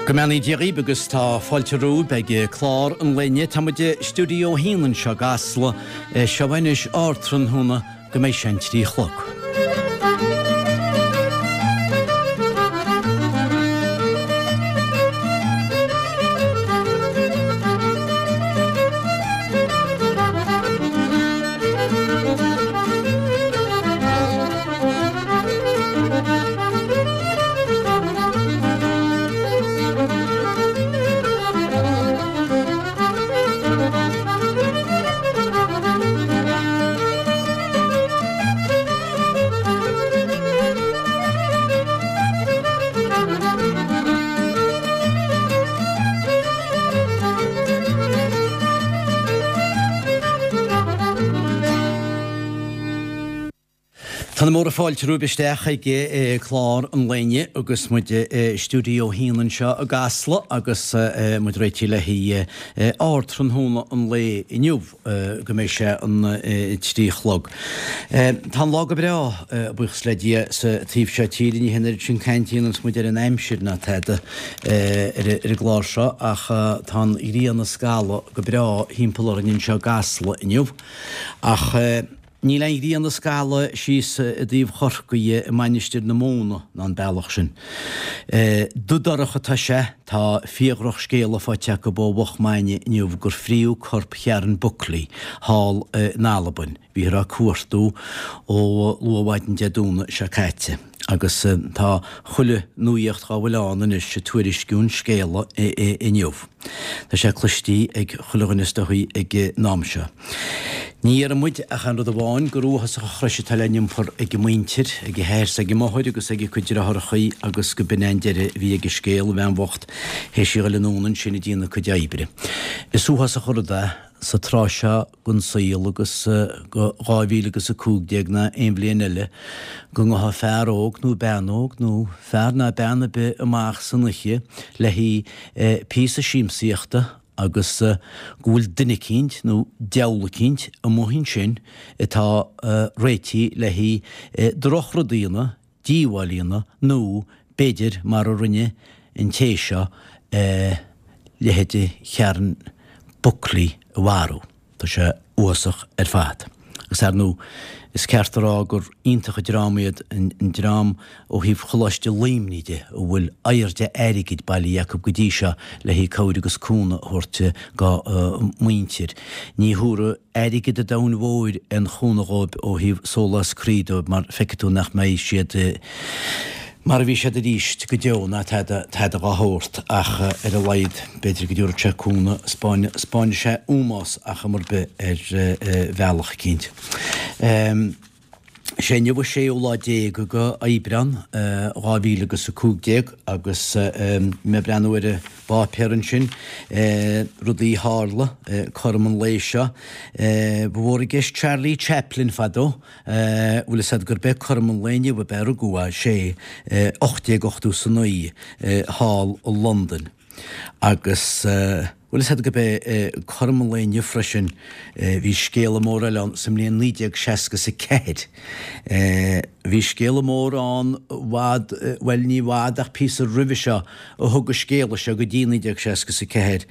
Go mbeannaí Dia dhaoibh agus tá fáilte romhaibh ag clár an lae inniu. Tá muid i Stiúideo 1 anseo i gCasla. Seo anois ardtráthnóna go mbeidh sé an 3 chlog. Tá na móra fáilte romhaibh isteach ag clár an lae inniu agus muid i Stiúideo 1 anseo i gCasla agus muid réitithe le haghaidh ardtráthnóna an lae inniu go mbeidh sé an 3 chlog. Tá an lá go breá, buíochas le Dia, sa taobh seo tíre. Ní hé an oiread sin cainte a dhéananns muid ar an aimsir ná tada ar an gclár seo ach tá an ghrian ag scalladh go breá thimpeall orainn anseo i gCasla inniu. Ach. Níl aon ghrian ag scalladh síos i dtaobh Chorcaí i Mainistir na Móna ná an bealach sin. Dubh dorcha atá sé, tá fíor-dhrochscéala faighte acu ó Mhuch Maine inniu gur fríodh corp Sharon Buckley thall in Albain. Bhíothar á cuartú ó luathmhaidin Dé Domhnaigh seo caite agus tá chuile nuaíocht dhá bhfuil ann anois ag tuairisciú an scéala inniu. Tá sé cloistí ag chuile dhuine is dóichí ag an am seo. Ní iarrann muid ach aon rud amháin, gur uathásach an chrois atá le n-iompar ag a muintir, ag a hathair 's ag a máthair agus ag a cuid deartháireachaí agus go b'in é an deireadh a bhí ag an scéal, an bhean bhocht théis í a ghoil anonn ansin ag déanamh a cuid oibre. Is uathásach an rud é sa tráth seo den saol agus go 2015 ná aon bhliain eile go ngabhfadh fear óg nó bean óg nó fear ná bean ar bith amach san oíche le haghaidh píosa siamsaíochta agus go bhfuil duine eicínt nó diabhal eicínt amuigh ansin atá réitithe le haghaidh drochrud a dhéanamh, díobháil a dhéanamh nó b'fhéidir mar a rinne an té seo leithéide Sharon Buckley a mharú. Tá sé uafásach ar fad. Agus ar ndóigh is ceart a rá gur iontach an dream iad an dream ó thaobh Choláiste Luimnigh de a bhfuil oighear de airgid bailithe acu go dtí seo le haghaidh cabhair agus cúnamh a thabhairt dá muintir. Ní thabharfaidh airgead an domhain mhóir aon chúnamh dhóibh ó thaobh sólás croí dóibh mar feicfidh tú nach mbeidh siad mar a bhí siad arís go deo ná tada tada dhá shórt ach ar a laghad b'fhéidir go dtabharfadh sé cúnamh, 'spáinfidh sé ómós ar chuma ar bith ar bhealach eicínt. Is é inniu an séú lá déag de Aibreán 2015 agus mé ag breathnú ar an bpáipéar ansin, rudaí a tharla cothrom an lae seo. Ba mhór i gceist Charlie Chaplin fadó. Bhfuil fhios a'd gurb é cothrom an lae inniu ab ea a rugadh é, sé 1889 thall i Londain. Agus bhfuil fhios a'd gurb é cothrom an lae inniu freisin, bhí scéala mór eile ann sa mbliain 1964. Bhí scéala mór ann i bhfad, bhuel ní i bhfad ach píosa roimhe seo a thug an scéala seo go dtí 1964.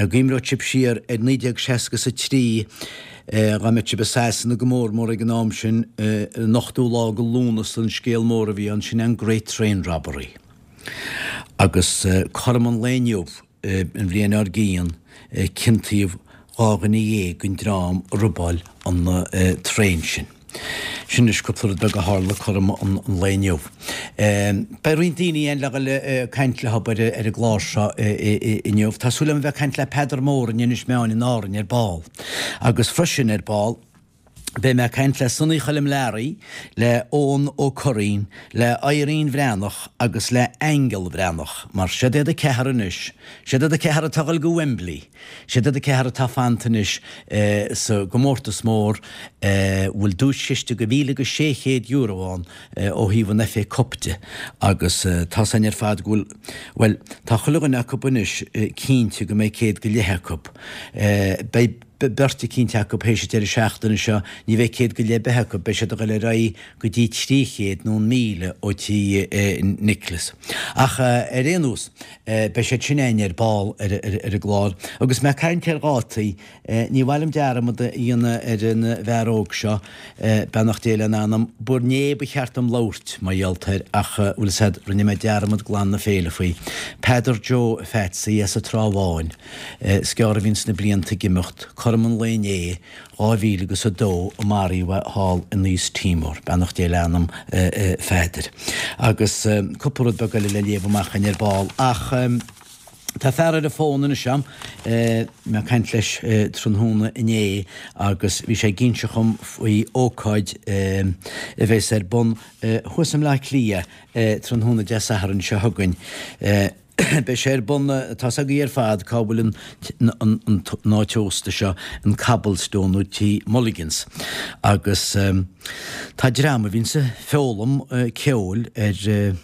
Cuimhneoidh sibh siar ar 1963, Dá mbeadh sibh i Sasana go mór mór ag an am sin, an ochtú lá de Lúnasa an scéal mór a bhí ann, sin an Great Train Robbery. Agus cothrom an lae inniu, an bhliain dár gcionn, ciontaíodh 12 dhuine den dream a robáil an traein sin. Sin anois cúpla rud beag a tharla cothrom an lae inniu. Beidh roinnt daoine againn le dhul ag caint leo ar an gclár seo inniu. Tá súil agam a bheith ag caint le Peadar Mór in Inis Meáin in Árainn ar ball. Agus freisin ar ball beidh mé ag caint le Sonaí Choilm Learaí, le Eoghan Ó Curraoin, le Irene Bhreathnach agus le Aingeal Bhreathnach, mar siad iad a ceathar anois, siad iad a ceathar atá ag dul go Wembley. Siad iad a ceathar atá fanta anois sa gcomórtas mór a bhfuil duaischiste de €1,600 ann ó thaobh an FA Cup de agus tá's againn ar fad go bhfuil, bhuel, tá chuile dhuine acu anois cinnte go mbeidh céad go leith acu. Beidh. beirt eicínt acu théis an deireadh seachtaine seo, ní bheidh 100 go leith ar bith acu, beidh siad ag dul ar aghaidh go dtí 300 nó an 1,000 ó tí Nicholas. Ach ar aon nós, beidh siad sin againn ar ball ar an gclár. Agus mé ag caint ar dhátaí, ní mhaith liom dearmad a dhéanamh ar an bhfear óg seo, beannacht Dé lena anam, b'inné ba cheart dom labhairt mar gheall air ach, bhfuil 'fhios a'd, rinne mé dearmad glan na féile faoi. Peadar Joe Pheatsaí as an Trá Bháin. Is gearr a bhíonns na blianta ag imeacht, cothrom an lae inné, 2000 agus 2 a maraíodh é thall in East Timor, beannacht Dé le anam Pheadair. Agus cúpla rud beag eile le léamh amach againn ar ball. Ach tá fear ar an bhfón anois a'm, mé ag caint leis tráthnóna inné agus bhí sé ag inse dhom faoi ócáid a bheas ar bun thuas i mBleá Cliath tráthnóna Dé Sathairn seo chugainn. Beidh sé ar bun, tá's agaibh ar fad cá bhfuil an an áit ósta seo, an Cobblestone nó Tí Mulligans. Agus tá dream a bhíonns ag foghlaim ceoil ar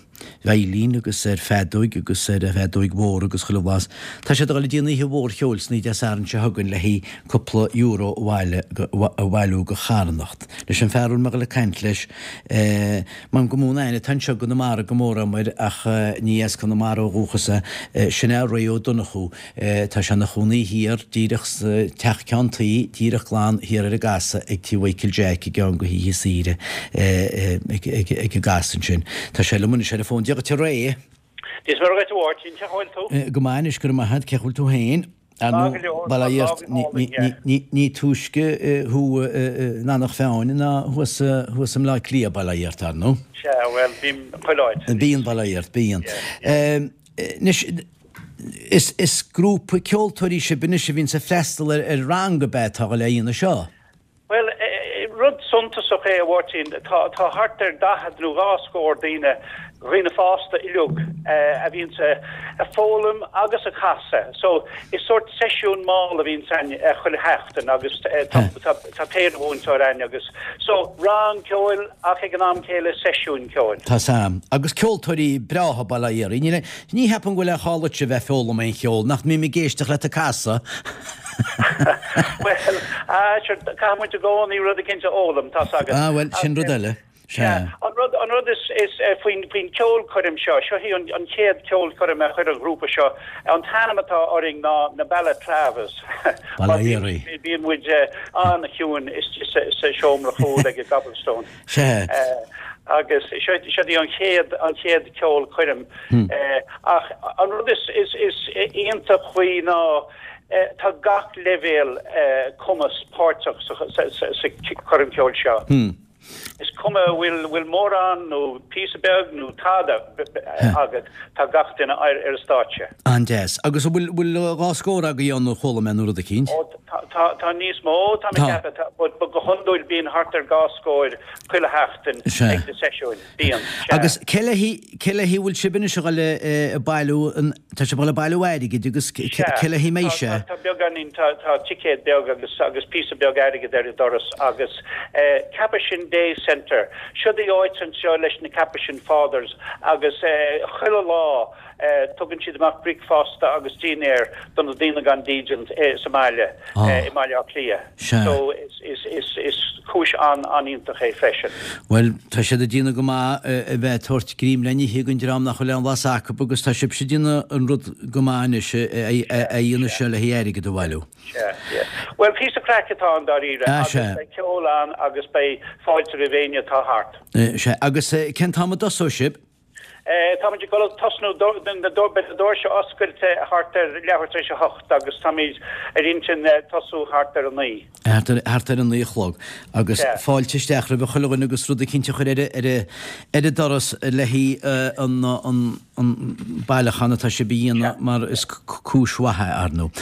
veidhlín agus ar feadóig agus ar fheadóig mhór agus chuile bhlas. Tá siad ag dul ag déanamh oíche mhór cheoil san oíche Dé Sathairn seo chugainn le haghaidh cúpla euro a bhailiú go charthanacht. Leis an fear a bhfuil mé ag dul ag caint leis, M'anam go mó an aithne atá anseo i gConamara go mór agam air ach ní as Conamara ó dhúchas é. Sin é Ray Ó Donnchú. Tá sé ina chónaí thiar díreach sa teach ceann tuí, díreach glan thiar ar an gcasadh ag tí Mhichael Jack i gceann go hoíche saoire ag an gcasadh ansin. Tá sé liom anois ar an bhfón. Dia dhuit a Ray. Dia is Muire dhuit a Mháirtín, cén chaoi a bhfuil tú? Go maith anois, go raibh maith agat, cén chaoi a bhfuil tú féin? Ar Maith go leor, tá lá go hálainn, yeah. Ní túisce thú in Eanach Mheáin ná thuas thuas i mBleá Cliath, bail ó Dhia ort, ar ndóigh. Sea, bhuel, bím chuile áit. Bíonn, bail ó Dhia ort, bíonn. Yeah, yeah. Anois, is is grúpa ceoltóirí sibh anois a bhíonns ag freastal ar ar rang ab ea atá ag dul a dhéanamh seo? Bhuel, rud suntasach é, a Mháirtín, tá thart ar 40 nó dhá scór daoine, dhaoine fásta uilig, a bhíonns a' foghlaim agus a' casadh. So, is sórt seisiún mall a bhíonns a'inn chuile sheachtain agus tá péire mhúinteoir a'inn agus, so, rang ceoil ach ag an am céile seisiún ceoil. Tá 's a'm. Agus ceoltóirí breátha, bail ó Dhia oraibh. Ní cheapaim go bhfuil aon chall duitse a bheith ag foghlaim aon cheol, nach mbím ag éisteacht leat ag casadh. Bhuel, ah, sure, caithfidh muid i gcónaí rud eicínt a fhoghlaim, tá's agat. Ah, bhuel, sin rud eile. Sea. An rud, an rud is, is eh, faoin, faoin ceolchoirm seo, seo í an, an chéad ceolchoirm a chuir an ghrúpa seo, an t-ainm atá orainn ná na Balaclavas. Bail ó Dhia oraibh. Bíonn muid eh, an-chiúin istigh sa, sa seomra chúil ag an gCobblestone. Sea. Eh, agus seo, seo í an chéad, an chéad ceolchoirm. Eh, ach an rud is, is, is iontach faoi ná, Tá gach leibhéal cumas páirteach sa choirm cheoil seo. Is cuma an bhfuil mórán nó píosa beag nó tada agat, tá gach duine ar an stáitse. An-deas. Agus an bhfuil dhá scór agaibh ann a chuala mé nó rud eicínt? Ó, tá níos mó, tá mé ag ceapadh, but go hiondúil bíonn thart ar dhá scór chuile sheachtain ag na seisiúin. Bíonn, sea. Agus cé léi, cé léi a bhfuil sibh anois a dhul ag bailiú an, tá sibh a dhul ag bailiú airgid agus cé léi a mbeidh sé? Tá, tá beagáinín, tá, tá ticéad beag agus, agus píosa beag airgid ar an doras agus eh Capuchin Day Centre, siod í áit anseo leis na Capuchin Fathers agus eh chuile lá eh tugann siad amach bricfeasta agus dinnéar do na daoine gan dídean eh sa mbaile, eh i mBaile Átha Cliath. Sea. So is, is, is, is cúis an-iontach é freisin. Bhuel, tá siad ag déanamh go maith a bheith ag tabhairt greim le n-ithe don dream nach bhfuil aon bhlas acu agus tá sibhse ag déanamh an rud go maith anois a dhéanamh seo le haghaidh airgead a bhailiú. Sea, yeah. Bhuel, píosa craic atá ann dáiríre Ah, agus sea. beidh ceol ann agus beidh fáilte roimh éinne atá thart. Sea, agus cén t-am a dtosóidh sibh? Táimid ag dul ag tosnú, beidh na doirse oscailte thart ar leathuair tar éis a hocht agus táimid ar intinn tosú thart ar a naoi. Thart ar a naoi a chlog. Agus fáilte isteach roimh chuile dhuine agus rud eicínt a chur ar ar an doras le haghaidh an bailiúchán atá sibh a dhéanamh mar is cúis mhaith é, ar ndóigh.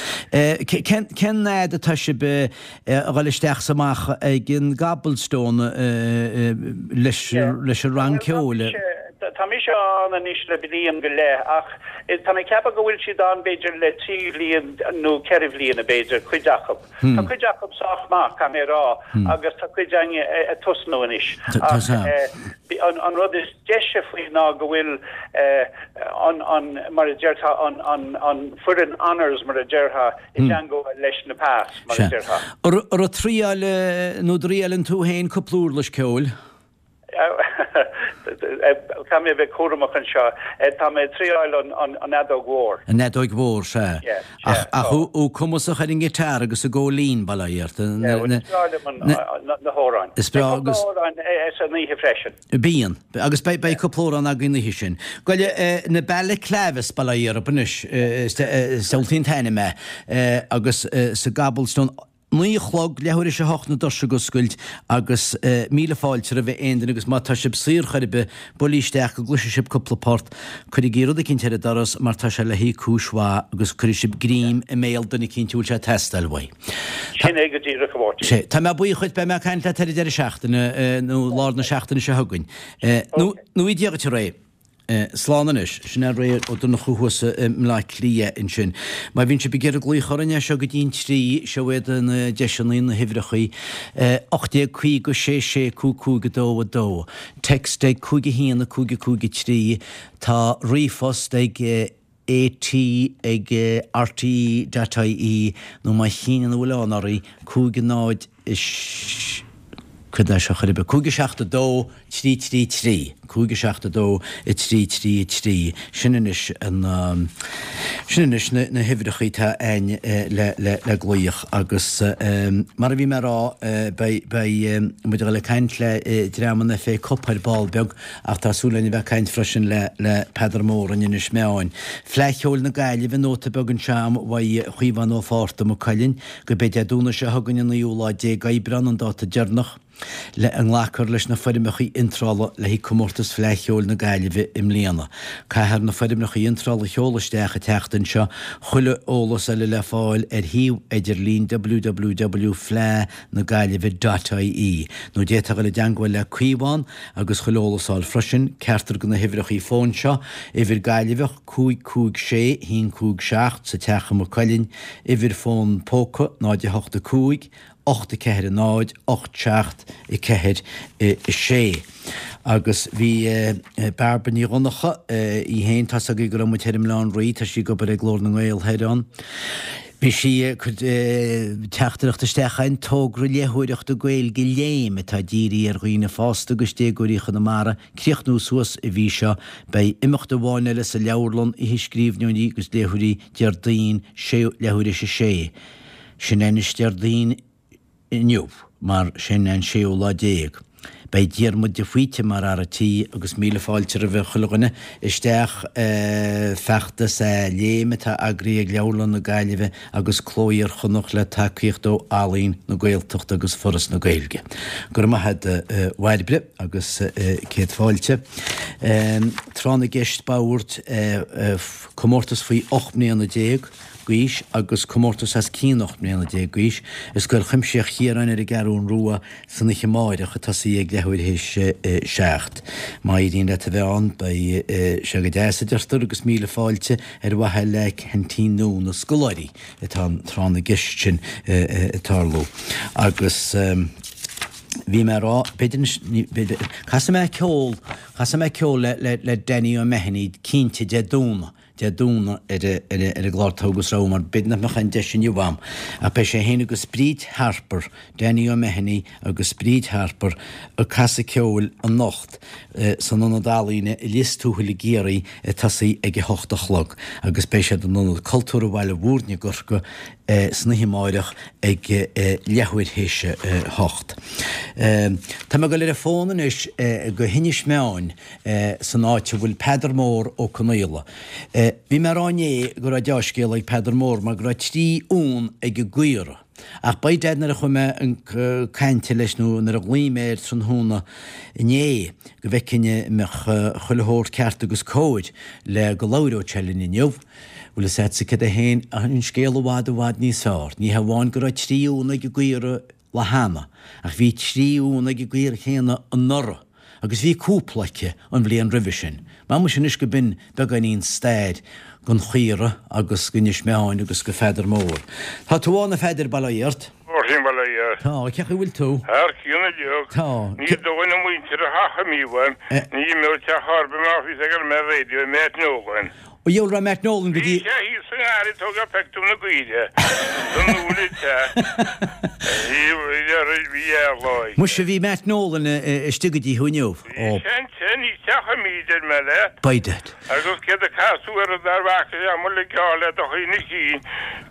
Cén fhad atá sibh a dhul isteach 's amach ag an gCobblestone leis an rang ceoil. tá mise ann anois le bliain go leith ach tá mé ag ceapadh go bhfuil siad ann b'fhéidir le 3 bhliain nó 4 bhliana b'fhéidir, cuid acu. Tá cuid acu sách maith, caithfidh mé a rá, agus tá cuid againn ag tosnú anois. Ach an rud is deise faoi ná go bhfuil an, an, mar a déarfá, an, an, an foireann honours mar a déarfá i dteagmháil leis na pas, mar a déarfá. An raibh triail nó dtriaileann tú féin cúpla uirlis ceoil? Caithfidh mé a bheith cúramach anseo. Tá mé ag triáil an fheadóg mhór. An fheadóig mhór, sea. Ach thú cumasach ar an ngiotár agus an góilín, bail ó Dhia ort. Triáilim na hamhráin. Is breá agus. Beidh cúpla amhrán san oíche freisin. Bíonn. Agus beidh cúpla amhrán againn an oíche sin. Goile, na Balaclavas, bail ó Dhia orthu anois, is samhlaím an t-ainm é, agus sa gCobblestone, 9 a chlog, leathuair théis a hocht na doirse ag oscailt agus míle fáilte roimh aon duine agus má tá sibh saor chor ar bith, buailí isteach go gcloisfidh sibh cúpla port, cuirigí rud eicínt ar an doras mar tá sé le haghaidh cúis mhaith agus cuirfidh sibh greim i mbéal duine eicínt a bhfuil sé ag teastáil uaidh. Sin é go díreach, a Mháirtín. Sea. Tá mé buíoch dhuit, beidh mé ag caint leat ar an deireadh seachtaine nó lár na seachtaine seo chugainn. Nó nó Dia dhuit a Ray. Slán anois. Sin é Ray Ó Donnchú thuas i mBleá Cliath ansin. Má bhíonn sibh ag iarraidh glaoch orainn as seo go dtí'n trí, seo iad na deiseanna, na huimhreachaí, 1850 6 6 5 5 2 2. Text ag 5 1 5 5 3. Tá ríomhphost ag AT ag rte.ie nó má shíneann a bhfuil ann oraibh, 5 0 6 cad é seo chor ar bith, 5 7 2 3 3 3, 5 7 2 3 3 3, sin anois an, sin anois na, na huimhreachaí atá a'ainn le, le, le glaoch agus mar a bhí mé a rá beidh, beidh muid a dhul ag caint le dream an FA Cup ar ball beag Ach tá súil againn a bheith ag caint freisin le le Peadar Mór in Inis Meáin. Fleadh Cheoil na Gaillimhe, nóta beag anseo a'm uaidh Chaomhán Ó Fátharta Maigh Cuilinn, gurb é Dé Domhnaigh seo chugainn an naoú lá déag Aibreán an dáta deireanach le a nglacfar leis na foirmeacha iontrála le haghaidh comórtas Fleadh Cheoil na Gaillimhe i mbliana. Caithfear na foirmeacha iontrála a sheoladh isteach an tseachtain seo. Chuile eolas eile le fáil ar shuíomh idirlín www fleadh na Gaillimhe dot ie nó d'fhéadfá dul i dteangmháil le Caomhán agus chuile eolas a fháil freisin, ceachtar de na huimhreachaí fóin seo, uimhir Gaillimheach 5 5 6 1 5 7 sa teach i Maigh Cuilinn, uimhir fón póca 0 8 5 8 4 0 8 7 4 6. Agus bhí Bairbre Ní Dhonncha í féin, tá's agaibh go raibh muid thoir i mBaile Átha an Rí, tá sí ag obair ag Glór na nGael thoir ann. Bhí sí ag cur teachtaireacht isteach chugainn, togra léitheoireachta Gaeilge Léim atá dírithe ar dhaoine fásta agus déagóirí Chonamara, críochnú suas an mhí seo. Beidh imeacht amháin eile sa leabharlann, Oíche Scríbhneoirí agus Léitheoirí, Déardaoin, sé leathuair théis a sé. Sin anois Déardaoin. inniu, mar sin an séú lá déag. Beidh Diarmuid de Faoite mar fhear a' tí agus míle fáilte roimhe chuile dhuine isteach. Feachtas é Léim atá eagraithe ag Leabharlann na Gaillimhe agus Cló Iar-Chonnacht le tacaíocht ó Ealaín na Gaeltachta agus Foras na Gaeilge. Go raibh maith a't a Bhairbre agus céad fáilte. Tráth na gCeist Boird, comórtas faoi 18 mbliana. d'aois agus comórtas os cionn 18 mbliana d'aois i Scoil Chuimsitheach Chiaráin ar an gCeathrún Rua san oíche amáireach ag tosaí ag leathuair théis a 7. Má éiríonn leat a bheith ann beidh sé go deas a deirtear agus míle fáilte ar mhaithe le ceaintín nua na scoláirí atá an tráth na gceist sin ag tarlú agus bhí mé ag rá b'fhéidir b'fhéidir casfaidh mé ceol casfaidh mé ceol le le le Danny O'Mahony cinnte Dé Domhnaigh Dé Domhnaigh ar an gclár Togha agus Rogha mar b'fhéidir nach mbeadh aon deis inniu a'm. Ach beidh sé féin agus Bríd Harper, Danny O'Mahony agus Bríd Harper ag casadh ceoil anocht san Ionad Ealaíne i Lios Tuathail i gCiarraí ag tosaí ag a hocht a chlog agus beidh siad in Ionad Cultúrtha Bhaile Mhúirne i gCorcaigh san oíche amáireach ag leathuair théis a hocht. Tá mé ag dul ar an bhfón anois go hInis Meáin san áit a bhfuil Peadar Mór Ó Conaola. Bhí mé a rá inné go raibh deá-scéala ag Peadar Mór mar go raibh 3 uan ag an gcaora. Ach by dad nuair a chuaigh mé chun cainte leis nó nuair a ghlaoigh mé air tráthnóna inné go bhfeicfinn an mbeadh chuile shórt ceart agus cóir le go labhródh sé linn inniu, bhfuil fhios a'dsa céard é féin, an scéal i bhfad i bhfad níos fearr. Ní hamháin go raibh 3 uan ag an gcaora lá cheana, ach bhí 3 uan ag an gcaora chéanna anuraidh. Agus bhí cúpla aici an bhliain roimhe sin. Mar muise anois go binn beagáinín stair gon chaora agus go Inis Meáin agus go Pheadar Mór. Tá tú ann a Pheadair, bail ó Dhia ort. Máirtín, Bail ó Dhia ort. Tá, cén chaoi bhfuil tú? Thar cionn uilig. Tá. Ní dóigh na muintir a theach imí uaim. Ní imeodh teach ar bith má bhí ag an raidió Matt Nolan. Ó dheabhail raibh Matt Nolan go dtí. Bhí sé thíos sa ngarraí ag tógáil peictiúr na gcaoire. San úll te. Bhí lá. Muise bhí Matt Nolan istigh go dtí thú inniu. Bhí sé ansin, ní teach imí deir mé leat. By dad. Agus céard a casadh air dar bhfaca sé amuigh le geall le do chuimhne chinn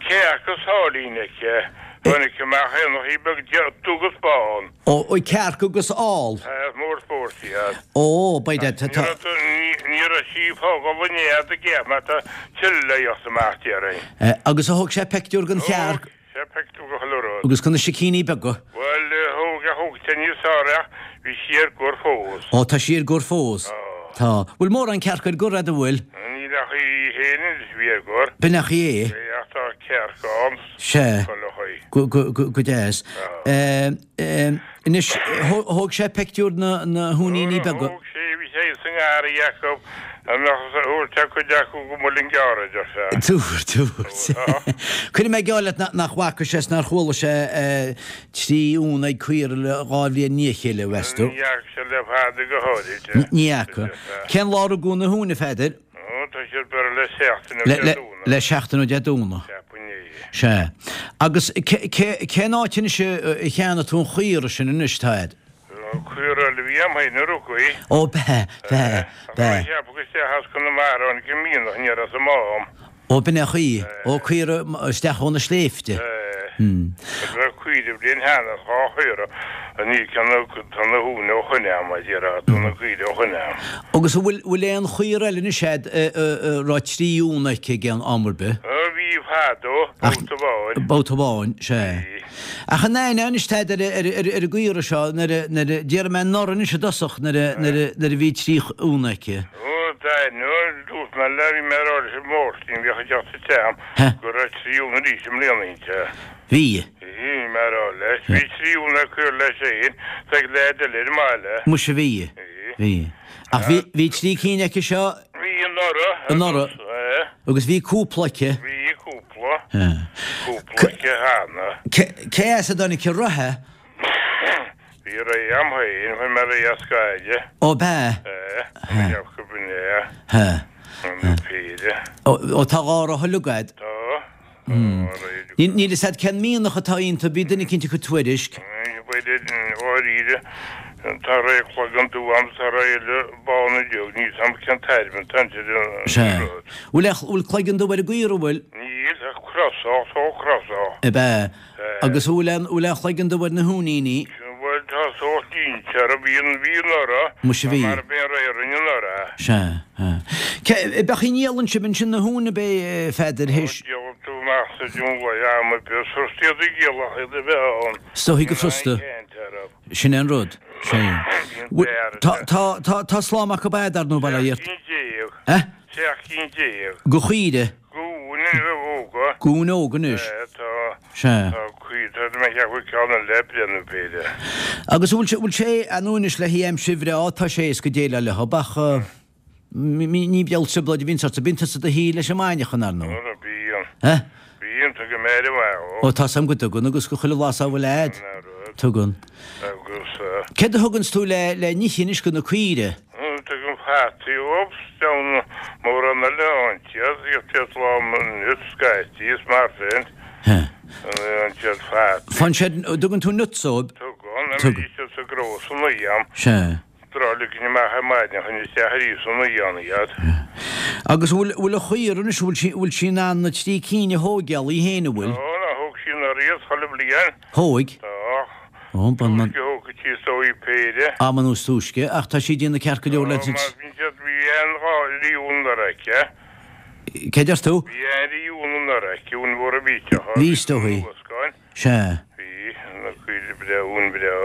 cearc is áillín aici. Tháinig amach éanachaí beag dubh agus bán. Ó, cearc agus ál. Tá, is mór spóirt iad. Ó, by dad, tá, tá. Ní raibh sí ag fágáil an nead ag iarraidh mar tá tuilleadh le theacht amach, déarfainn. Agus a thóg sé peictiúr den chearc. Thóg sé peictiúr de chuile rud. Agus de na sicíní beaga. Bhuel, thóg, thóg sé níos fearr ach bhí sí ar gor fós. Ó, tá sí ar gor fós. Tá. Tá. Bhfuil mórán cearc ar gor a'd, an bhfuil? Níl ach í féin anois a bhí ar gor. B'in ach í é. Bhí ach tá cearc ann. Sea. Chuile chaoi. Go, go, go, go deas. Anois, thóg sé peictiúr na, na huainíní beaga. Thóg sé, bhí sé sa ngarraí acu, a mbeadh a thabhairt a cuid acu go Muileann gCearr, a deir sé. Dúirt, dúirt. Cuirfidh mé geall leat nach bhfaca sé is nár chuala sé 3 uan ag caora le 2 bhliain i ndiaidh a chéile, mheas tú? Ní fhaca sé le fada go háirid. Ní fhaca. Cén lá a rugadh na huain, a Pheadair? Ó, tá siad beirthe le seachtain ó Dé Domhnaigh. Le seachtain ó Dé Domhnaigh. Ceapaim é. Sea. Agus cén áit anois a cheannaigh tú an chaora sin anois, tá a'd? Caora eile a bhí a'm féin a rugadh í. Ó, b'ea, b'ea, b'ea. Ach cheapadh isteach as Conamara tháinig an mianach, ní raibh sa mám. Ó, b'in é an chaoi. Ó, caora isteach ó na sléibhte. Agus bheadh caoire bliain cheana, 2 chaora, ní ceann tá na huain ó shoin a'm, a déarfá, tá na caoire ó shoin a'm. Agus an bhfuil, bhfuil aon chaora eile anois a'd a raibh 3 uan aici ag aon am ar bith? Bhí fadó, babhta amháin. Babhta amháin, sea. Bhí. Ach an aithneofá anois a'd ar, ar, ar, ar an gcaora seo nuair a, nuair a, déarfaidh mé anuraidh anois i dtosach nuair a, nuair a, nuair a bhí 3 uan aici. Ó, d'aithneofá, dúirt mé le, bhí mé ag rá leis an Mháirtín, bhíodh ag teacht isteach a'm, go raibh 3 uan arís i mbliana inti. Bhí. Bhí, bhí mé ag rá leis. Bhí 3 uan ag cur leis féin, is ag leaid eile ar an mbaile. Muise bhí. Bhí. Bhí. Ach bhí, bhí 3 cinn aici seo. Bhí anuraidh. Anuraidh. Agus bhí cúpla aici. Bhí cúpla. Cúpla aici cheana. Cé as a dtáinig an reithe? Bhí reithe a'm féin, fuair mé reithe as Gaillimh. Ó b'ea? Ee, cheap go b'in é. He. An péire. Ó tá 2 roth uilig a'd. Tá. Tá reithe. Níl fhios a'd cén mianach atá iontu, bhí duine eicínt ag cur tuairisc. B'fhéidir, dháiríre, tá reithe cloigeann dubh a'm, tá reithe eile bán uilig, níl 'fhios a'm cén tairbhe atá inti an Sea. rud. Bhfuil, bhfuil cloigeann dubh ar an gcaora, bhfuil? Níl, ach crosach, tá crosach. Ab ea? Agus an bhfuil aon, bhfuil aon chloigeann dubh ar na huainíní? Bhuel, tá sórt línte orthu, bhí an, bhí anuraidh, Muise bhí. mar ab é an reithe a rinne anuraidh. Sea, sea. Cé, beadh i ndíolann sibh ansin na huain ab é, a Pheadair, théis. Ó, díolann tú amach sa dúnlaith am ar bith, is furasta iad a dhíol ach iad a bheith ann. Is dóichí gur furasta. Níl aon chaint orthu. Sin é an rud. Sea. Bíonn fear Tá, tá, tá, tá slám acu a'd, ar ndóigh, bail ó Dhia ort. 17 cinn. Eh? 17 cinn. De chaoire? De uain óga. De uain óga anois. Tá. Sea. Tá cuid, tá mé ag ceapadh ceann eile breith nó péire. Agus an bhfuil sé, bhfuil sé, ar ndóigh anois le haghaidh aimsir bhreá, tá sé éasca déileáil leo, ach ní bheadh trioblóid a bhíonns ort, bíonn tusa i do shuí leis an mbainneachan, ar ndóigh. Ó, bíonn. Eh? Bíonn, tugaim aire mhaith dhó. Ó, tá's a'm go dtugann, agus go chuile lá dá bhfuil a'd. Sin an rud. Tugann. Agus eh. Céard a thuganns tú le, le n-ithe anois go na caoire? Tugaim fataí dhóibh, 's deamhan mórán eile ann iad, iad lán nuts scaití is mar sin. He. An siad fataí. Fan siad, dtugann tú nuts dóibh? Tugann, a bhí siad sa gcró san oíche. Sea. Tráth ligin amach ar maidin chun isteach arís san oíche ann iad. Agus an bhfuil, bhfuil an chaora anois, bhfuil sí, bhfuil sí in ann na trí cinn a thóigeáil í féin, an bhfuil? Tá, ná thóg sí anuraidh iad chuile bhliain. Thóig? Tá. Ó, ban, Túisce a thógfaidh sí is dóigh péire. Am nó is túisce, ach tá sí ag déanamh ceart go leor le Tá, mar bhí siad, bhí aon dhá rí uan anuraidh aici. Cé deir tú? Bhí aon rí uan anuraidh aici, uan mhór a bhí Bhí, is dóigh. Sea. Bhí, na caoire breá, uan breá.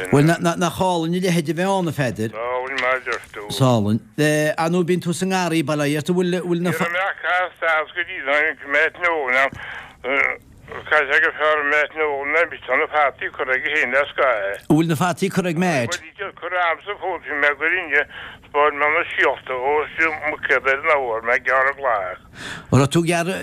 Bhuel, nach álainn a leithéid a bheith ann, a Pheadair? Is álainn mar a deir tú. Is álainn. Ar ndóigh, bíonn tú sa ngarraí, bail ó Dhia ort, an bhfuil, bhfuil na. Ní raibh mé ach casta as go dtí tháinig mé tráthnóna. Caithfidh sé gur fearr Matt Nolan ná mise, tá na fataí curtha aige féin le scaitheamh. An bhfuil na fataí curtha ag Matt? Bhuel, níl curtha a'msa fós, bhí mé ag goil inniu, 'spáin mé na síolta dhó is muicéad ar an abhar, mé ag gearradh glac. An raibh tú ag gearradh?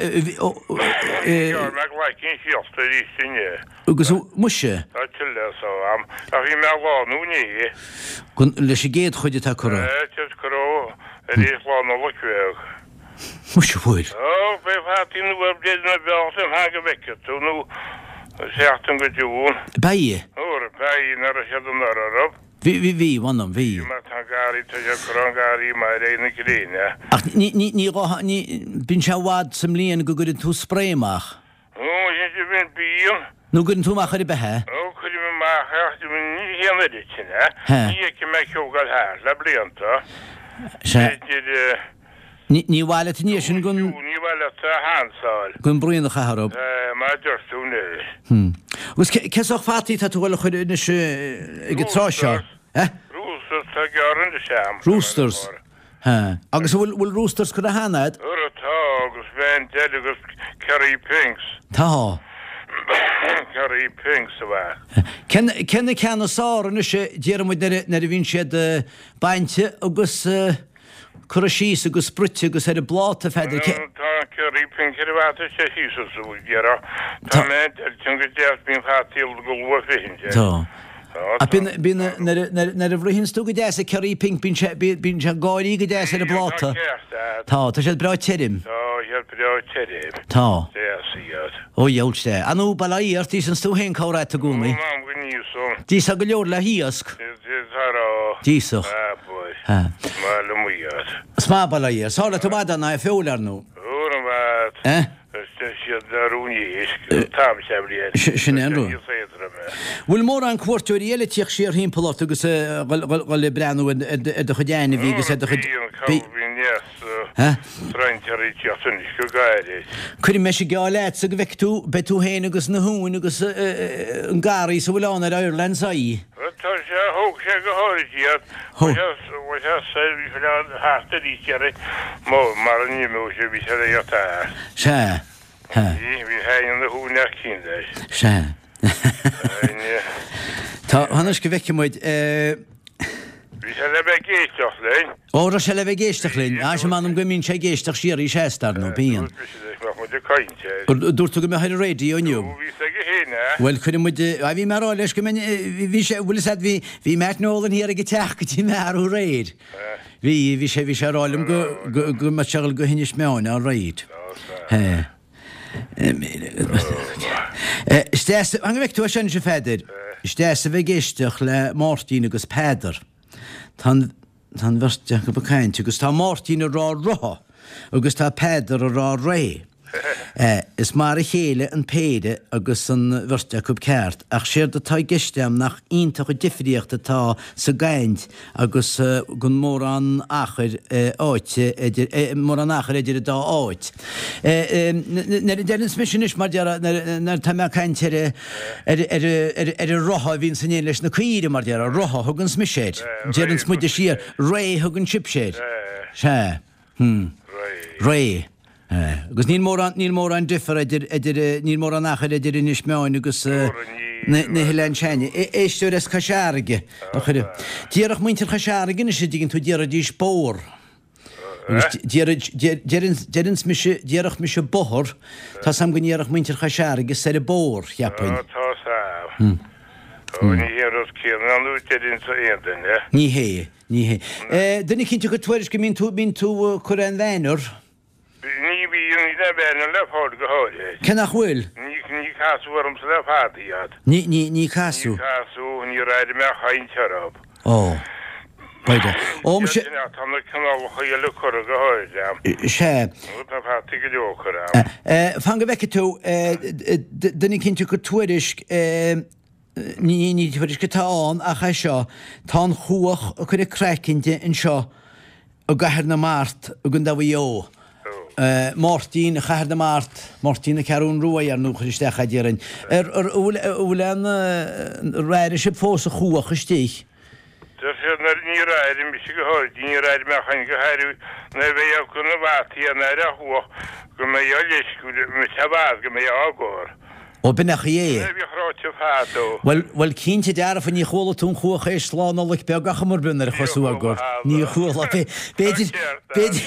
Ghearr mé glaicín síolta arís inniu. Agus muise? Tá tuilleadh so a'm, ach bhí mé ag lánú inné. Leis an gcéad chuid atá curtha? Tá siad curtha arís Lá Nollag bheag. Muise bhfuil. Ó, beidh fataí nua ar bith na bealach lem theanga bhfeicfidh tú nó seachtain go dtiún. Beidh. Óra, beidh, nach raibh siad anuraidh, raibh? Bhí, bhí, bhí, mh'anam, bhí. Má tá an garraí, tá sé ag cur an garraí mar é na gréine. Ach ní, ní, ní, ní, bíonn sé i bhfad sa mbliain go gcuireann tú spré amach. Ó, sin de bhíonn, bíonn. Nó gcuireann tú amach ar bith é? Ó, cuirim amach é ach ní hé an oiread sin é. Ní fheicim mé ag thart le blianta. Sea. B'fhéidir. Ní mhaith leat an sin gon. Ní mhaith leat a shansáil. Gon braon a chaitheamh orthu. Mar a deir tú anois. Agus cé sórt fataí atá tú ag dul a chur anois ag an tráth seo? Roosters atá gearrtha anois a'm. Roosters. Ha. Agus an bhfuil, bhfuil roosters curtha cheana a'd? Ara tá, agus Vendel agus Kerry Pinks. Tá. Kerry Pinks a bheadh. Cén, cén na ceanna is fearr anois a déarfaidh muid nuair a, nuair a bhíonn siad bainte agus curtha síos agus bruite agus ar an bpláta, a Pheadair, cé. Tá an Kerry Pink ar an bhfata sé síos is a bhfuil, Tá Vendel tinn go deas, bíonn fataí go luath freisin. Tá. Ach bíonn, bíonn, nuair a, nuair a bhruitheanns tú go deas an Kerry Pink, bíonn sé, bíonn, bíonn sé ag gáirí go deas ar an bpláta. Tá, tá siad breá tirim. Tá siad breá tirim. Tá. Deas iad. Ó dheabhail sea. Ar ndóigh, bail ó Dhia ort, íosanns tú féin corr-áit i gcónaí. Ó, m'anam go n-íosfainn. D'íosfá go leor le hiasc. Tá. D'íosfadh. Abair. Ha. Is maith liom iad. Is maith, bail ó Dhia. Is fearr leat i bhfad ná é feoil, ar ndóigh. Ó, an bhfad. Eh? Sin é an rud. Bhfuil mórán cuairteoirí eile ag tíocht siar thimpeall ort agus ag dhul ag breathnú ar do chuid ainmhí agus ar do chuid. Cuirfidh mise geall leatsa go bhfeicfidh tú, beidh tú féin agus na huain agus an garraí is a bhfuil ann ar Ireland's Eye. Tá sé, thóg sé go háirid iad. Bhí sé soir, bhí sé thart arís iarraidh mar a n-imeodh sé, bhí sé ar a thart. Sea. Bhí, bhí féin ina shúil cinn leis. Sea. Tá, anois go bhfeicfidh muid. Bhí sé le bheith ag éisteacht linn. Ó, raibh sé le bheith ag éisteacht linn. Á, sea, m'anam go mbíonn sé ag éisteacht síoraí seasta, ar ndóigh, bíonn. Dúirt mise leis nach mbeadh muid ag caint air. Dúirt tú go mbeadh ar an raidió inniu. Ó, bhí 's aige féin é. Bhuel, cuirfidh muid, á, bhí mé ag rá leis go mbeinn, bhí sé, bhfuil 'fhios a'd, bhí, bhí Matt Nolan thiar ag an teach go dtí mé arú aréir. Bhí, bhí sé, bhí sé ag rá liom go, go, go mbeadh sé ag dul go hInis Meáin, all right. He. Is deas, an bhfeic tú é sin, a Pheadair? Is deas a bheith ag éisteacht le Máirtín agus Peadar. Tá an, tá an bheirt acu ag caint agus tá Máirtín ag rá rotha agus tá Peadar ag rá ré. Is mar a chéile an péire agus an bheirt acu ceart, ach séard atá i gceist a'm nach iontach an difríocht atá sa gcaint agus gan mórán achair áite idir, mórán achair idir an dá áit. Nuair a deireanns mise anois, mar déarfá, nuair atá mé ag caint ar, ar, ar, ar, ar an rotha a bhíonns in éineacht leis na caoire, mar déarfá, rotha a thuganns mise air. Deireanns muide siar, ré a thugann sibhse air. Sea. Hm. Ré. Agus níl mórán, níl mórán difear idir, idir, níl mórán achair idir Inis Meáin agus na, na hOileáin Seine. Éisteoir as Cois Fharraige a chuir. Déarfadh muintir Chois Fharraige anois, a dtuigeann tú, déarfaidís bóthar. Agus déarfaid, deireann, deireanns mise, déarfadh mise bothar, tá's a'm go ndéarfadh muintir Chois Fharraige soir an bóthar, cheapfainn. Tá's a'm. Ó, ní hé an rud céanna nó deireanns aon duine. Ní hé. Ní hé. Duine eicínt ag cur tuairisc go mbíonn tú, bíonn tú ag cur aon bhanner? Ní bhíonn, níl aon bhanner le fáil go háirithe. Cé nach bhfuil? Ní, ní casadh ormsa le fada iad. Ní, ní, ní casadh? Ní casadh, níor airigh mé caint orthu. Ó. B'fhéidir. Ó, muise. Tá na cineálacha eile curtha go háirithe a'm. Sea. Tá fataí go leor curtha a'm. Fan go bhfeicfidh tú, duine eicínt ag cur tuairisc, Ní ní tuairisc atá ann ach é seo, tá an chuach ag cur a craicinn di anseo i gCathair na Mart i gContae Mhaigh Eo. Máirtín, Chathair na Mart, Máirtín na Ceathrún Rua ar ndóigh a chuir isteach é déarfainn. Ar ar bhfuil bhfuil aon ar airigh sibh fós an chuach istigh? Deir siad nuair níor airigh mise go háirithe, níor airigh mé chaint go háirithe nuair a bheidh acu na bhfataí an aire a chuach go mbeidh á loisceadh, mise a bhfad go mbeidh á gcur. Ó b'in an chaoi é. Sin é a bhíodh ráite fadó. Bhuel, bhuel, cinnte dearfa, ní chuala tú an chuach théis Lá Nollag beag ach mar b'in ar chos uagar. Ní chuala. B'fhéidir, b'fhéidir,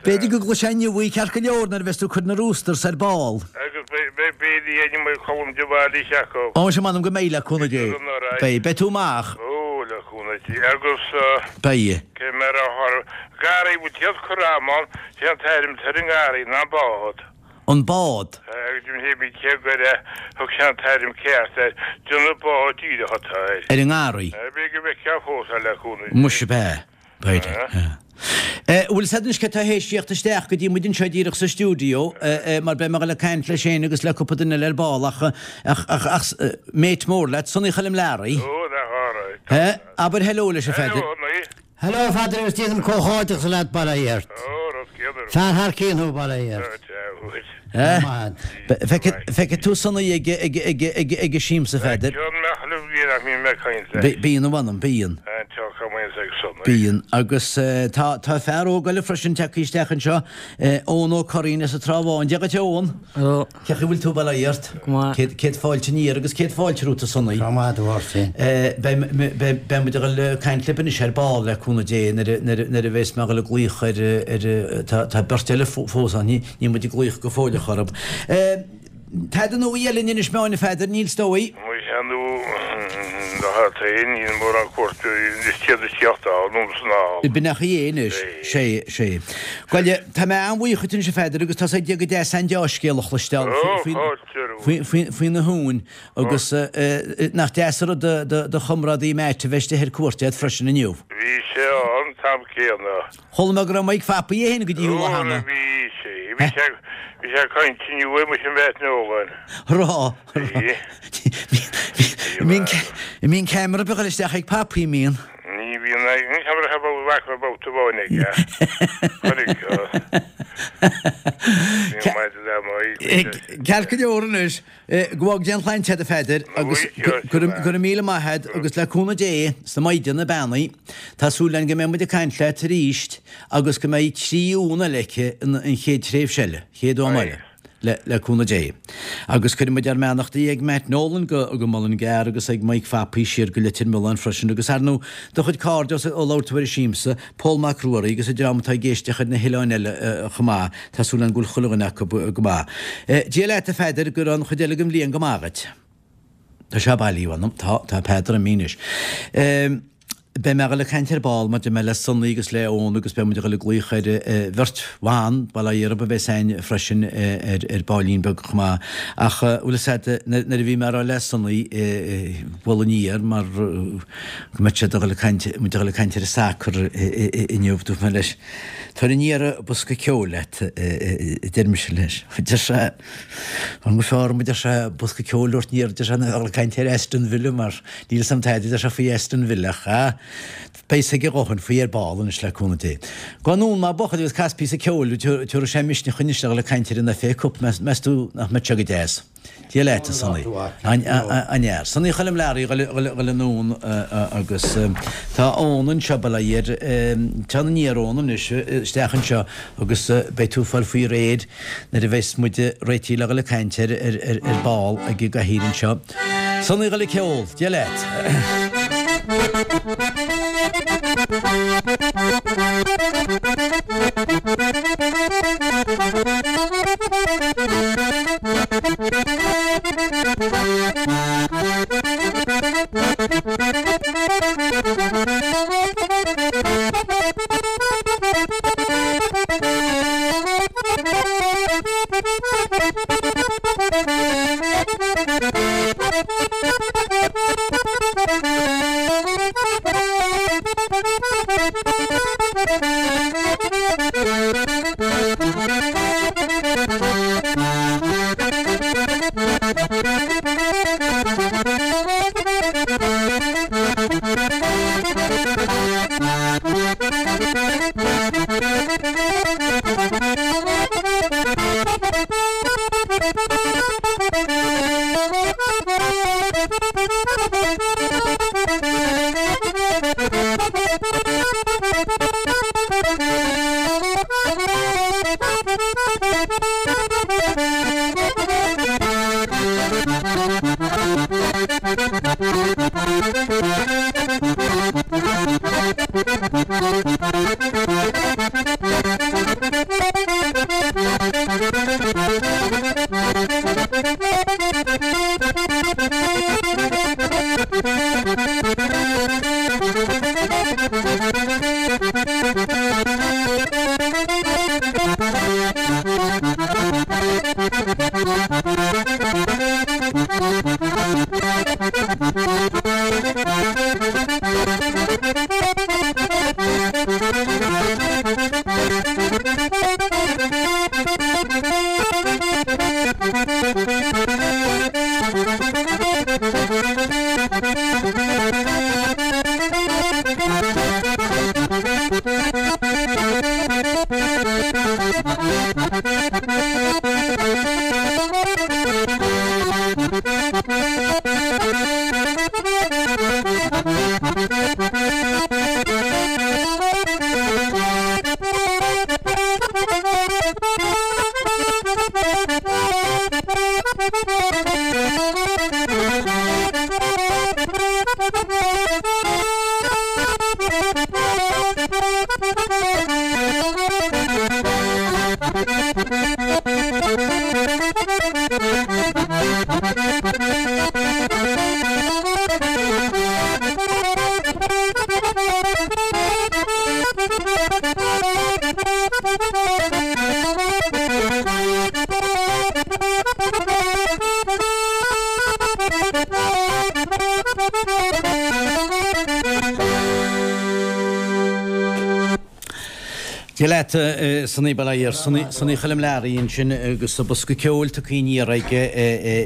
b'fhéidir go gcloisfeá inniu í ceart go leor nuair a bheas tú ag cur na roosters ar ball. Agus beidh a ainm ag Colm de Bhaile acu. Ó, sea, m'anam go mbeidh, le cúnamh Dé. Beidh. Beidh tú amach. Ó, le cúnamh Dé. Agus. Beidh. Cé mar a tharla. Garraí, bhfuil siad cur amán, sé an t-ainm atá ar an ngarraí ná an bád. An bád. Agus pé bí cé gur thug sé an t-ainm ceart air, déanamh bád díreach atá air. Ar an ngarraí. B'fhéidir go bhfeicfeá fós é le cúnamh Dé. Muise b'ea. B'fhéidir. Bhfuil 's a'd anois cé tá théis tíocht isteach go dtí muid anseo díreach sa stiúideo mar beidh mé ag dul ag caint leis féin agus le cúpla duine eile ar ball ach ach ach ach mate mór leat, Sonny Choilm Learaí. Ó, nach alright. Abair hello leis a Pheadair. Hello, Sonny. Hello a Pheadair agus déanaim comhghairdeachas leat bail ó Dhia ort. Fear thar cionn thú bail ó Dhia ort. Feicfidh tú Sonny ag an siamsa a Pheadair. Bíonn a mh'anam, bíonn. Bíonn. Agus tá fear óg eile freisin tagtha isteach anseo, Eoin Ó Curraoin as an Trá Bháin. Dia dhuit a Eoin. Hello. Cén chaoi a bhfuil tú, bail ó Dhia ort? Go maith. Céad fáilte aniar agus céad fáilte romhat a Sonny. Go maith do Mháirtín. Beidh muid ag dul ag caint libh anois ar ball le cúnamh Dé nuair a bheas mé ag dul ag glaoch ar tá beirt eile fós ann, níl muid ag glaoch go fóilleach orthu. Tada nua eile in Inis Meáin a Pheadair, níl is dóigh? Muise nó níl mórán cuairteoirí is iad ag tíocht ann anonn is anall. B'in an chaoi é anois. Sé, sé. Bhuel, tá mé an-bhuíoch dhuit anois a Pheadair agus tá's ag Dia go deas an deá-scéal a chloisteáil faoi na huain agus nach deas an rud do chomrádaí Matt a bheith istigh ar cuairt agat freisin inniu. Bhí sé ann an t-am céanna. Chuala mé go raibh Mike Phapaí é féin go dtí thú lá cheana. Bhí sé. Bhí sé bhí sé ag caint inniu muis an Mhatt Nolan. Rá. Bhí. Bíonn ceamara beag isteach ag Papaí, mbíonn? Ní bhíonn aon cheamara a bheadh babhta amháin aige. Chonaic. Bhí maidir le Mike. Ceart go leor anois. Go bhfága Dia an tsláinte agat a Pheadair agus go raibh míle maith agat agus le cúnamh Dé 's na Maighdeana Beannaí tá súil againn go mbeidh muid ag caint leat arís agus go mbeidh 3 uan eile aici an chéad tréimhse eile, chéad uan eile le cúnamh Dé. Agus cuirfidh muid ár mbeannachtaí ag Matt Nolan go go Mullingar agus ag Mike Phapaí siar go Leitir Mealláin freisin agus ar ndóigh do chuid cairde ó labhair tú ar an siamsa, Pól Mac Ruairí agus an dream atá ag éisteacht ar na hoileáin eile chomh maith. Tá súil againn go bhfuil chuile dhuine acu go maith. Dia leat a Pheadair, go raibh an chuid eile den bhliain go maith dhuit. Tá sé bailí, a mh'anam. Tá, tá Peadar imithe anois. Beidh mé ag dul ag caint ar ball maidir mé le Sonny agus le Eoin agus beidh muid ag dul ag glaoch ar bheirt bhan, bail ó Dhia orthu, a bheas againn freisin ar baillín beag chomh maith. Ach bhfuil fhios a'd, nuair a bhí mé ag rá le Sonny bualadh aniar mar go mbeadh siad ag dul ag caint, muid ag dul ag caint ar an sacar inniu, dúirt mé leis, Tar aniar bosca ceoil leat, a deir mise leis. Deir sé, an bhfuil fearr orm, a deir sé, bosca ceoil a thabhairt aniar, deir sé, ná a dhul ag caint ar Aston Villa mar níl 'fhios a'm tada, a deir sé, faoi Aston Villa ach, ah, beidh 'fhios aige a dhóthain faoi ar ball anois le cúnamh Dé. Gabh anonn a bhuachaill agus cas píosa ceoil, tabharfaidh sé misneach anois le dhul ag caint ar an FA Cup, meas tú nach mbeadh sé go deas? Dia leat, a Sonny. An-fhear. Sonny Choilm Learaí a dhul anonn agus tá Eoin anseo, bail ó Dhia air. Téann aniar Eoin anois isteach anseo agus beidh tú ag fáil faoi réir nuair a bheas muid réitithe le dhul ag caint ar ar ball ag an gcathaoir anseo. Sonny a dhul ag ceol. Dia leat. Dia leat, Sonaí Bail ó Dhia ort, Sonaí Choilm Learaí ansin agus bosca ceoil tugtha aniar aige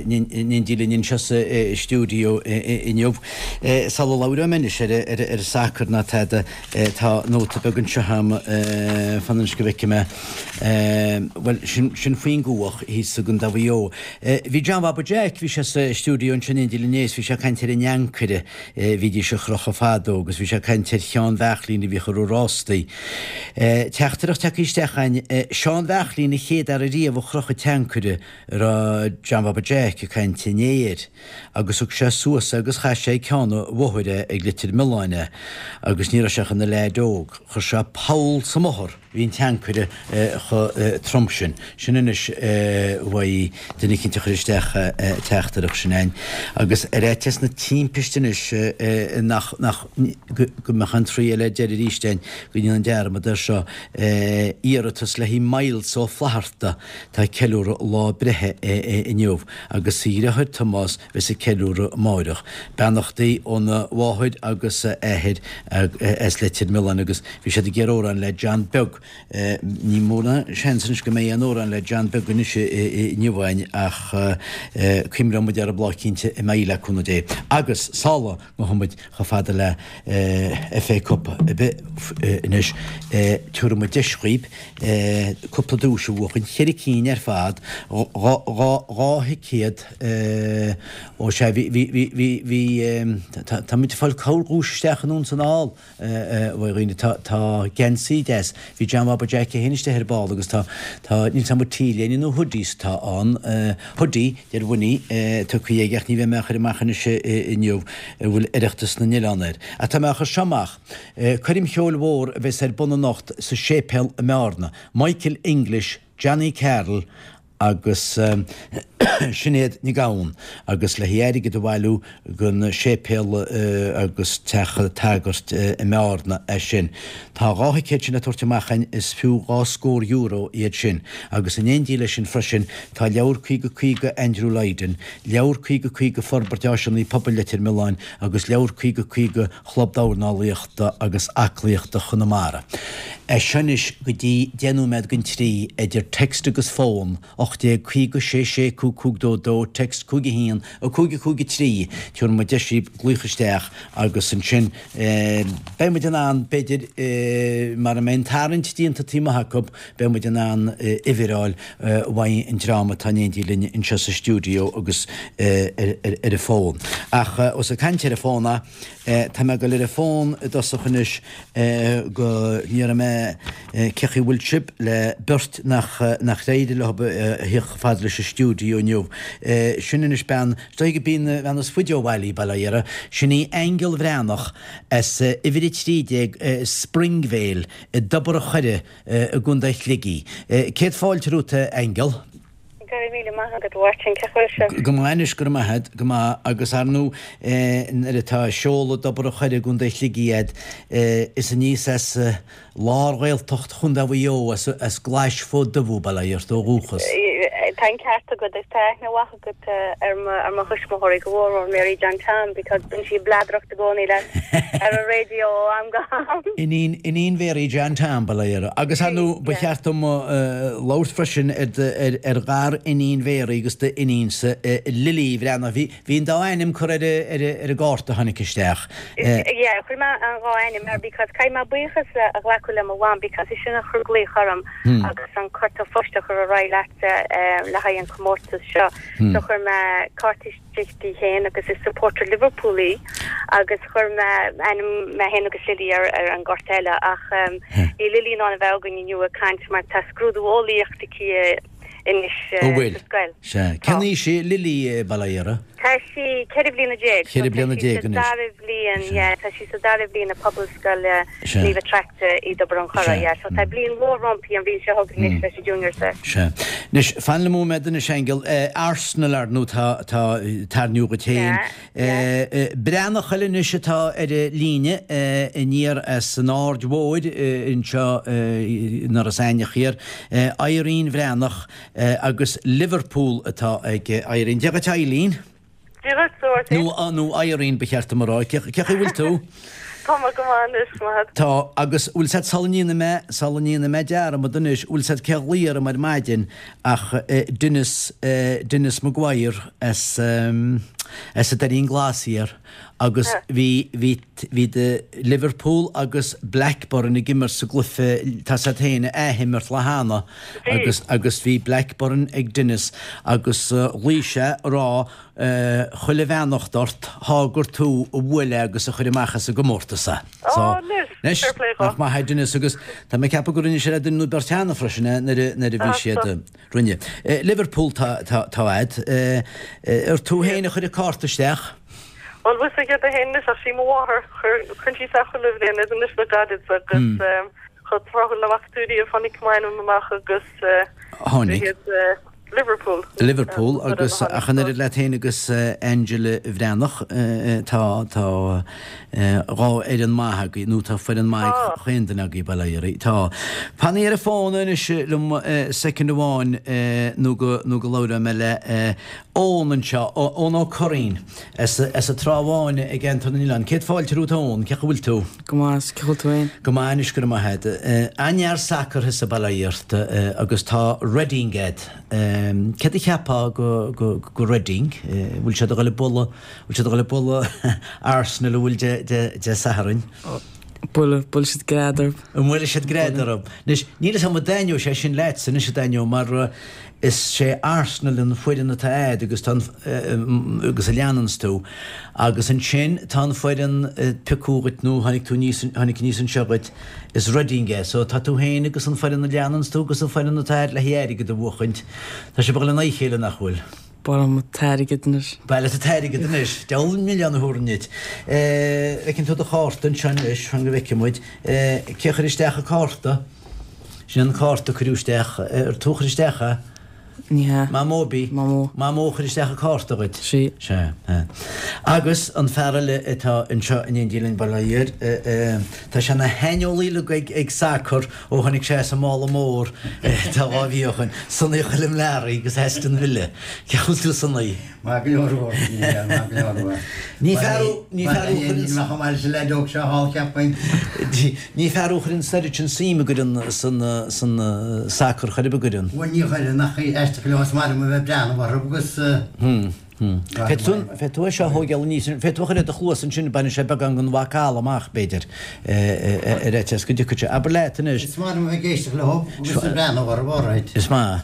in éindí linn anseo sa stiúideo inniu. Sula labhróidh mé anois ar an sacar ná tada, tá nóta beag anseo agam, fan anois go bhfeicfidh mé, bhuel, sin faoin gcuach thíos i gContae Mhaigh Eo. Bhí John Bhaba Jeaic, bhí sé sa stiúideo ansin in éindí linn inné is bhí sé ag caint ar an ancaire a bhídís a chrochadh fadó agus bhí sé ag caint ar Sheán Bheachlín a bhíodh ag rith rástaí. Teachtaireacht tagtha isteach againn, Seán Bheachlín an chéad fhear ariamh a chroch an t-ancaire a raibh John Bhaba Jeaic ag caint inné air agus thug sé suas é agus chaith sé ag ceann an bhóthair é ag Leitir Mealláin é agus ní raibh sé ach ina leaid óg. Chuir sé poll sa mbóthar. Bhí an t-ancaire chomh trom sin. Sin anois uaidh duine eicínt a chuir isteach an teachtaireacht sin a'inn. Agus ar fhaitíos na timpiste anois nach, nach, go mbeadh an triail ar deireadh arís a'inn, go ndéanfainn dearmad air seo, iarratas le haghaidh Myles Ó Flatharta, atá ag ceiliúradh lá breithe inniu, agus a dhriotháir Tomás a bheas ag ceiliúradh amáireach. Beannachtaí óna mháthair agus a athair as Leitir Mealláin agus. Bhí siad ag iarraidh amhrán le John Beag. Ní mórán seans anois go mbeidh aon amhrán le John Beag anois inniu againn ach cuimhneoidh muid air lá eicínt a mbeidh le cúnamh Dé. Agus sula ngabhfaidh muid chomh fada le FA Cup ar bith anois, tabharfaidh muid deis dhaoib cúpla duais a bhuachan, cheithre cinn ar fad, 2 thicéad ó sea, bhí, bhí, bhí, bhí, tá muid ag fáil corrdhuais isteach anonn 's anall. A dhaoine, tá, tá geansaí deas. Bhí John Bhaba Jeaic é féin istigh ar ball agus tá, tá, níl 's a'm an T-léine nó hoodies atá ann, hoodie, deir Winnie, tugtha aige ach ní bheidh mé á chur amach anois inniu, a bhfuil Oireachtas na nOileán air. Ach tá mé á chur seo amach. Coirm cheoil mhór a bheas ar bun anocht sa séipéal i mBearna. Michael English, Johnny Carroll agus Sinéad Nic Gabhann agus le haghaidh airgead a bhailiú don séipéal agus teach an tsagairt i mBearna é sin. Tá 2 thicéad sin le tabhairt amach againn, is fiú dhá scór euro iad sin. Agus in éindí leis sin freisin tá leabhar 50 50 Andrew Lydon, leabhar 50 50 Forbairt Áiseanna Pobail Leitir Mealláin agus leabhar 50 50 Chlub Dornálaíochta agus Aclaíochta Chonamara. As seo anois go dtí 10 nóiméad don trí, idir text agus fón, 1850 6 5 5 2 2, text 5 1 5 5 3, tabharfaidh muid deis daoibh glaoch isteach agus ansin beidh muid in ann, b'fhéidir, mara mbeidh an tarraingt déanta taobh amuigh acu, beidh muid in ann uimhir a fháil uaidh an dream atá in éindí linn anseo sa stiúideo agus ar an bhfón. Ach ós ag caint ar an bhfón a. Tá mé ag dul ar an bhfón i dtosach anois go ndéarfaidh mé cén chaoi a bhfuil sibh le beirt nach nach éirigh leo a theacht chomh fada leis an stiúideo inniu. Sin anois bean, is dóigh gurb í an bhean is faide ó bhaile í, bail ó Dhia uirthi. Sin í Aingeal Bhreathnach as uimhir 13 Springvale i dTobar an Choire i gContae Shligigh. Céad fáilte romhat a Aingeal. Go raibh míle maith agat, a Mháirtín. Cén chaoi a bhfuil sibh? Go maith anois, go raibh maith agat, go maith. Agus ar ndóigh, nuair atá seoladh dTobar an Choire i gContae Shligigh agat, is aníos as lár Ghaeltacht Chontae Mhaigh Eo, as Glais Fód Dubh thú, bail ó Dhia ort, ó dhúchas. Tá an ceart agat agus tá aithne mhaith agat ar mo ar mo thuismitheoirí, go mhór mhór Mary John Tom because bíonn sí ag bladaireacht i gcónaí leat ar an raidió ó am go ham. Iníon Iníon Mhary John Tom, bail ó Dhia uirthi. Agus ar ndóigh ba cheart dom labhairt freisin ar ar ghar-iníon Mhary agus d'iníonsa, Lily Bhreathnach. Bhí Bhí an dá ainm curtha ar ar an gcárta a tháinig isteach. Yeah, chuir mé an dhá ainm air because caithfidh mé buíochas a ghlacadh le mo mham because is sin a chuir glaoch orm agus an cárta phoist a chur ar aghaidh leatsa le haghaidh an comórtas seo. So chuir mé cárta istigh di féin agus is supporter Liverpool í agus chuir mé ainm mé féin agus Lily ar ar an gcárta eile ach níl Lily in ann a bheith againn inniu ag caint mar tá scrúdú eolaíocht aici anois Ó bhfuil? sa scoil. Sea. Cén aois í Lily, bail ó Dhia uirthi? Tá sí 14 bhliana. Cheithre bliana déag anois. Tá sí sa dara bhliain, yeah, tá sí sa dara bhliain i Pobalscoil Naomh Attracta i dTobar an Choire, yeah. So tá bliain mhór roimpi an bhliain seo chugainn anois leis an Junior Cert. Sea. Anois, fan liom nóiméad anois, Aingeal. Arsenal, ar ndóigh, tá, tá tarraingthe dhuit féin. Breathnach eile anois atá ar an líne aniar as an Aird Mhóir anseo in Iorras Aithneach thiar, Irene Bhreathnach agus Liverpool atá ag Irene. Dia dhuit Eileen. Dia dhuit, a Mháirtín. Nó Irene ba cheart dom a rá. Cén chaoi a bhfuil tú? Tá mé go maith anois, maith agat. Tá, agus bhfuil 's a'd sula ndéanfaidh mé, sula ndéanfaidh mé dearmad anois, bhfuil 's a'd cé a ghlaoigh orm ar maidin ach Denis, Denis Maguire as, as an Doirín Glas thiar agus bhí, bhí, bhí de Liverpool agus Blackburn ag imirt sa gcluiche, tá 's a'd féin, a athimirt lá cheana agus, agus bhí Blackburn ag Denis agus ghlaoigh sé a rá chuile bheannacht ort, thá gur tú a bhuail é agus a chuir amach as an gcomórtas é. So, anois, fair play dhó. Nach maith é Denis agus tá mé ag ceapadh gur rinne sé le duine nó beirt cheana freisin é nuair a nuair a bhí siad rinne. Liverpool tá tá tá a'd. Ar tú féin a chuir an cárta isteach? Bhuel, bhfuil 's agat féin anois ach sí mo mháthair, chuir cuireann sí isteach chuile bhliain iad anois le gairid agus chomh tráthúil le bhfaca tú riamh tháinig m'ainm amach agus Tháinig. Liverpool. Liverpool agus ach an oiread leat féin agus Angela Bhreathnach tá tá dhá fhoireann maith agaibh nó tá foireann maith ag chaon duine agaibh bail ó Dhia oraibh. Tá. Fanaigí ar an bhfón anois liom soicind amháin nó go nó go labhróidh mé le Eoin anseo, Eoin Ó Curraoin as as an Trá Bháin i gCeantar na nOileán. Céad fáilte romhat Eoin, cén chaoi a bhfuil tú? Go maith, cén chaoi a bhfuil tú féin? Go maith anois, go raibh maith agat. An-fhear sacair thusa, bail ó Dhia ort, agus tá Reading agat. Céard a cheapfá go go Reading? Bhfuil siad a dhul ag bualadh, bhfuil siad a dhul ag bualadh Arsenal an bhfuil Dé Dé Dé Sathairn? Buailfidh, buailfidh siad gread orthu. An mbuailfidh siad gread orthu? Anois, níl 'fhios a'm an dtaitneoidh sé sin leatsa anois, a Daniel, mar is sé Arsenal an foireann atá a'd agus tá an, agus a leananns tú. Agus ansin tá an foireann a piocadh dhuit nó tháinig tú aníos, tháinig aníos anseo dhuit, is Reading é. So tá tú féin agus an foireann a leananns tú agus an foireann atá a'd le haghaidh airgead a bhuachaint, tá sibh ag dul in aghaidh a chéile nach bhfuil? Ba mhaith liom an t-airgead anois. Ba mhaith leat an t-airgead anois. Deabhal milleán a thabharfainn duit. Feiceann tú do chárta anseo anois, fan go bhfeicfidh muid. Cé a chuir isteach an cárta? Sin an cárta a cuireadh isteach. Ar tú a chuir isteach é? Ní hea. Mamó ab í? Mamó. Mamó a chuir isteach an cárta dhuit? Sí. Sea. Agus an fear eile atá anseo in éindí linn, bail ó Dhia air, tá sé ina shaineolaí uilig ag sacar Ó tháinig sé as an mála mór tá 2 mhí ó shoin, Sonaí Choilm Learaí agus Aston Villa. Cén chaoi a bhfuil tú Sonaí? Maith go leor a Mháirtín, maith go leor a. Ní fear thú, ní fear thú a chuireann. Níl mé chomh maith leis an leaid óg seo thall, cheapfainn. Ní fear thú a chuireann an oiread sin suim a gcuireann san san sacar chor ar bith an gcuireann. Bhuel ní chuireann ach aisteach go leor is maith liom a bheith ag breathnú orthu agus. Féadfaidh tú é seo a thógáil aníos, féadfaidh tú a chur ar do chluas ansin, bainfidh sé beagán den mhacalla amach, b'fhéidir, ar fhaitíos go dtiocfaidh sé. Abair leat anois. Is maith liom a bheith ag éisteacht leo agus ag breathnú orthu, alright. Is maith.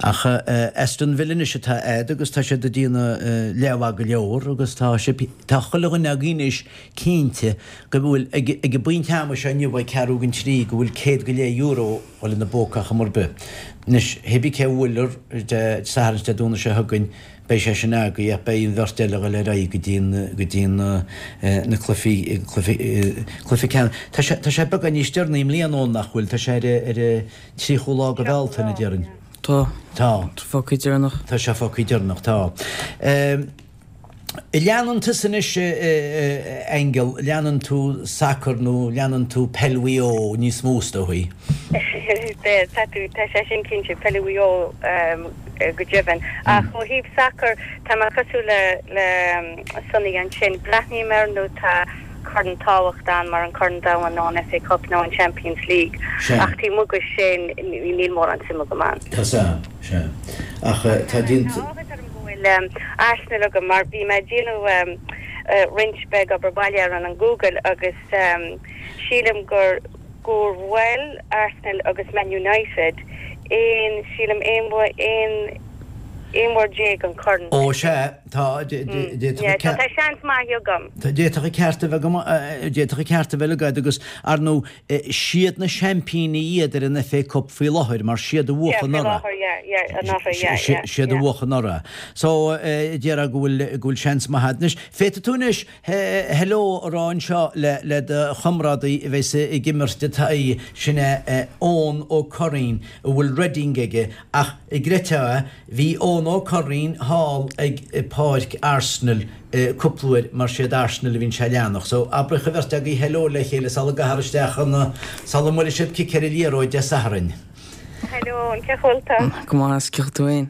Ach Aston Villa anois atá a'd agus tá siad ag déanamh leathmhaith go leor agus tá sibh, tá chuile dhuine againn anois cinnte go bhfuil, ag an bpointe ama seo inniu ag ceathrú don trí, go bhfuil €100 go leith ina bpóca ar chuma ar bith. Anois, hébí cé a bhuailfear Dé Sathairn is Dé Domhnaigh seo chugainn, beidh sé sin agaibh ach beidh an bheirt eile ag dul ar aghaidh go dtí go dtí na cluichí cluiche ceannais. Tá sé tá sé beagán níos deireanaí i mbliana Eoin nach bhfuil? Tá sé ar ar an 30ú lá de Bhealtaine, déarfainn. Tá. Tá. Tá fágtha deireanach. Tá sé fágtha deireanach, tá. Leanann tusa anois, a Aingeal, leanann tú sacar nó leanann tú peil Mhaigh Eo níos mó is dóigh? Tá tú, tá sé sin cinnte, peil Mhaigh Eo go deimhin. Ach ó thaobh sacair, tá mé cosúil le le Sonny ansin, breathnaím air nuair tá corn tábhacht ann mar an Corn Domhain nó an FA Cup nó an Champions League. Ach taobh amuigh de sin, níl mórán suim agam ann. Tá sea, sea. Ach tá déanta. Tá áthas orm go bhfuil Arsenal agam mar bhí mé ag déanamh roinnt beag obair baile ar an Google agus sílim gur gur bhuail Arsenal agus Man United aon, sílim, aon aon aon uair déag an corn. Ó sea, tá, d'fhéadfadh an. Tá seans maith agam. D'fhéadfadh an ceart a bheith agam, d'fhéadfadh an ceart a bheith agat agus, ar ndóigh, siad na seaimpíní iad ar an FA Cup faoi láthair mar siad a bhuaigh anuraidh. Siad a bhuaigh anuraidh. So, déarfá go bhfuil, go bhfuil seans maith agat anois. Féadfaidh tú anois hello a rá anseo le, le do chomrádaí a bheas ag imirt i d'aghaidh, sin é Eoin Ó Curraoin a bhfuil Reading aige ach an gcreidfeá é, bhí Eoin Ó Curraoin thall ag páirc Arsenal cúpla uair mar siad Arsenal a bhíonn sé a leanacht. So abraigh an bheirt agaibh hello le chéile sula gcaithfear isteach an, sula mbuailfidh sibh cic ar an liathróid Dé Sathairn. Hello Eoin, cén chaoi a bhfuil tú? Go maith, is cén chaoi a bhfuil tú féin?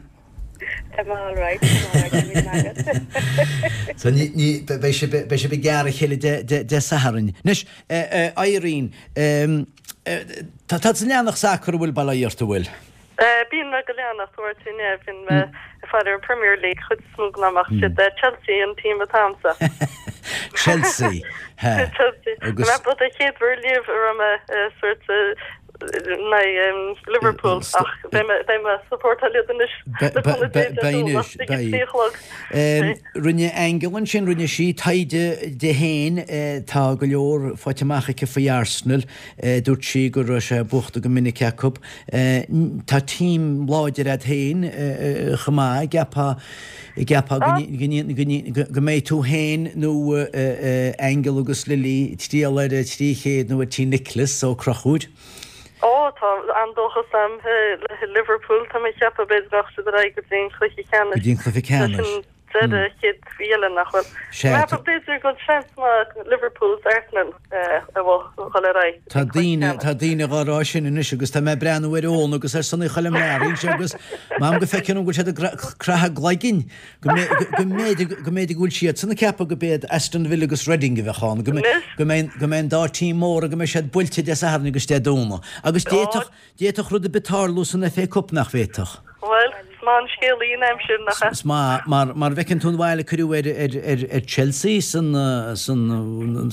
Tá mé alright, tá mé alright, go raibh míle maith agat. So ní, ní, beidh sibh, beidh sibh ag gearradh a chéile Dé, Dé, Dé Sathairn. Anois, Irene, tá tusa ag leanacht sacar an bhfuil bail ó Dhia ort, an bhfuil? Bíonn mé ag leanacht uaireanta, yeah, bíonn mé ag faire ar an Premier League chuid is mó den am ach siad Chelsea an team atá a'msa. Chelsea, he. Chelsea. Agus. Mé den chéad uair riamh a raibh mé sort in aghaidh Liverpool ach beidh mé beidh mé supportáil iad anois le cúnamh Dé Dé Domhnach ag a 3 a chlog. Rinne Aingeal ansin, rinne sí taighde di féin, tá go leor faighte amach aici faoi Arsenal. Dúirt sí go raibh sé buachta go minic acu. Tá team láidir a'd féin chomh maith, gceapfá, gceapfá go mbeidh tú féin nó Aingeal agus Lily triall ar an 300 nó ar Tí Nicholas Ó Conchúir. Ó, tá an-dóchas a'm le Liverpool, tá mé ag ceapadh b'fhéidir go rachaidh siad ar aghaidh go dtí an cluiche ceannais. Go dtí an cluiche ceannais. Deireadh chéad mhí eile nach bhfuil. Sea. Measaim b'fhéidir go bhfuil seans maith Liverpool is Arsenal a dhul ar aghaidh. Tá daoine, tá daoine dhá rá sin anois agus tá mé ag breathnú ar Eoin agus ar Sonny Choilm Learaí anseo agus m'anam go bhfeiceann go bhfuil siad ag croitheadh a gcloiginn go mb'fhéidir, go mb'fhéidir go bhfuil siadsan ag ceapadh go b'iad Aston Villa agus Reading a bheadh ann, go mbeidh, go mbeidh an dá team móra, go mbeidh siad buailte Dé Sathairn agus Dé Domhnaigh. Agus d'fhéadfadh, D'fhéadfadh rud ar bith tarlú san FA Cup, nach bhféadfadh? Bhuel, is maith an scéalaí an aimsir, nach ea? Is maith, mar, mar bhfeiceann tú an bhail a cuireadh ar, ar, ar, ar Chelsea san, san,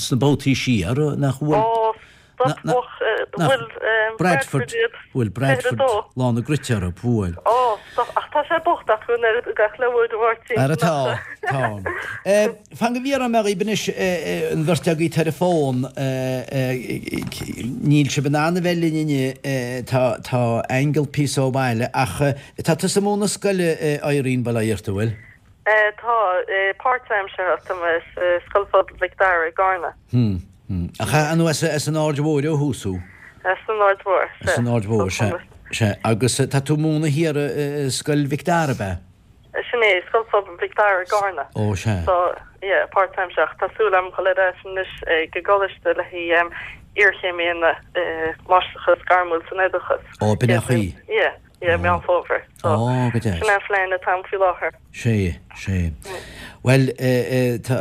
sna babhtaí siar, nach bhfuil? Ó, stop, Na, na, bhuel, nach, Bradford Bradford, iad, bhuail Bradford 22. lán a gcruite orthu, bhuail. Ó, stop, ach tá sé bocht acu an oiread gach le uair a Mháirtín, Ara tá, tá. Fan go bhfiafróidh mé dhíbh anois, an bheirt agaibh ar an bhfón, níl sibh in ann a bheith linn inniu, tá, tá Aingeal píosa ó bhaile, ach tá tusa ag múineadh scoile, Irene, bail ó Dhia ort, an bhfuil? Tá, páirtaimseartha, tá mé i Scoil Phobail Mhic Dara i gCarna. Hmm, hmm. Ach an as, as an Aird Mhóir ó thús thú? As an Aird Mhóir, sea. As an Aird Mhóir, sea, sea. Agus tá tú ag múineadh thiar i Scoil Mhic Dara, ab ea? Sin é, Scoil Phobail Mhic Dara i gCarna. Ó, sea. So, yeah, páirtaimseartha. Tá súil agam dhul ar ais anois ag an gcoláiste le haghaidh iarchéim a dhéanamh i Máistreachas Gairmiúil san Oideachas. Ó, b'in é an chaoi. Yeah, yeah, Meán Fómhair. So, Ó, go deas. sin é an phlean atá agam faoi láthair. Sea, sea. Bhuel, tá,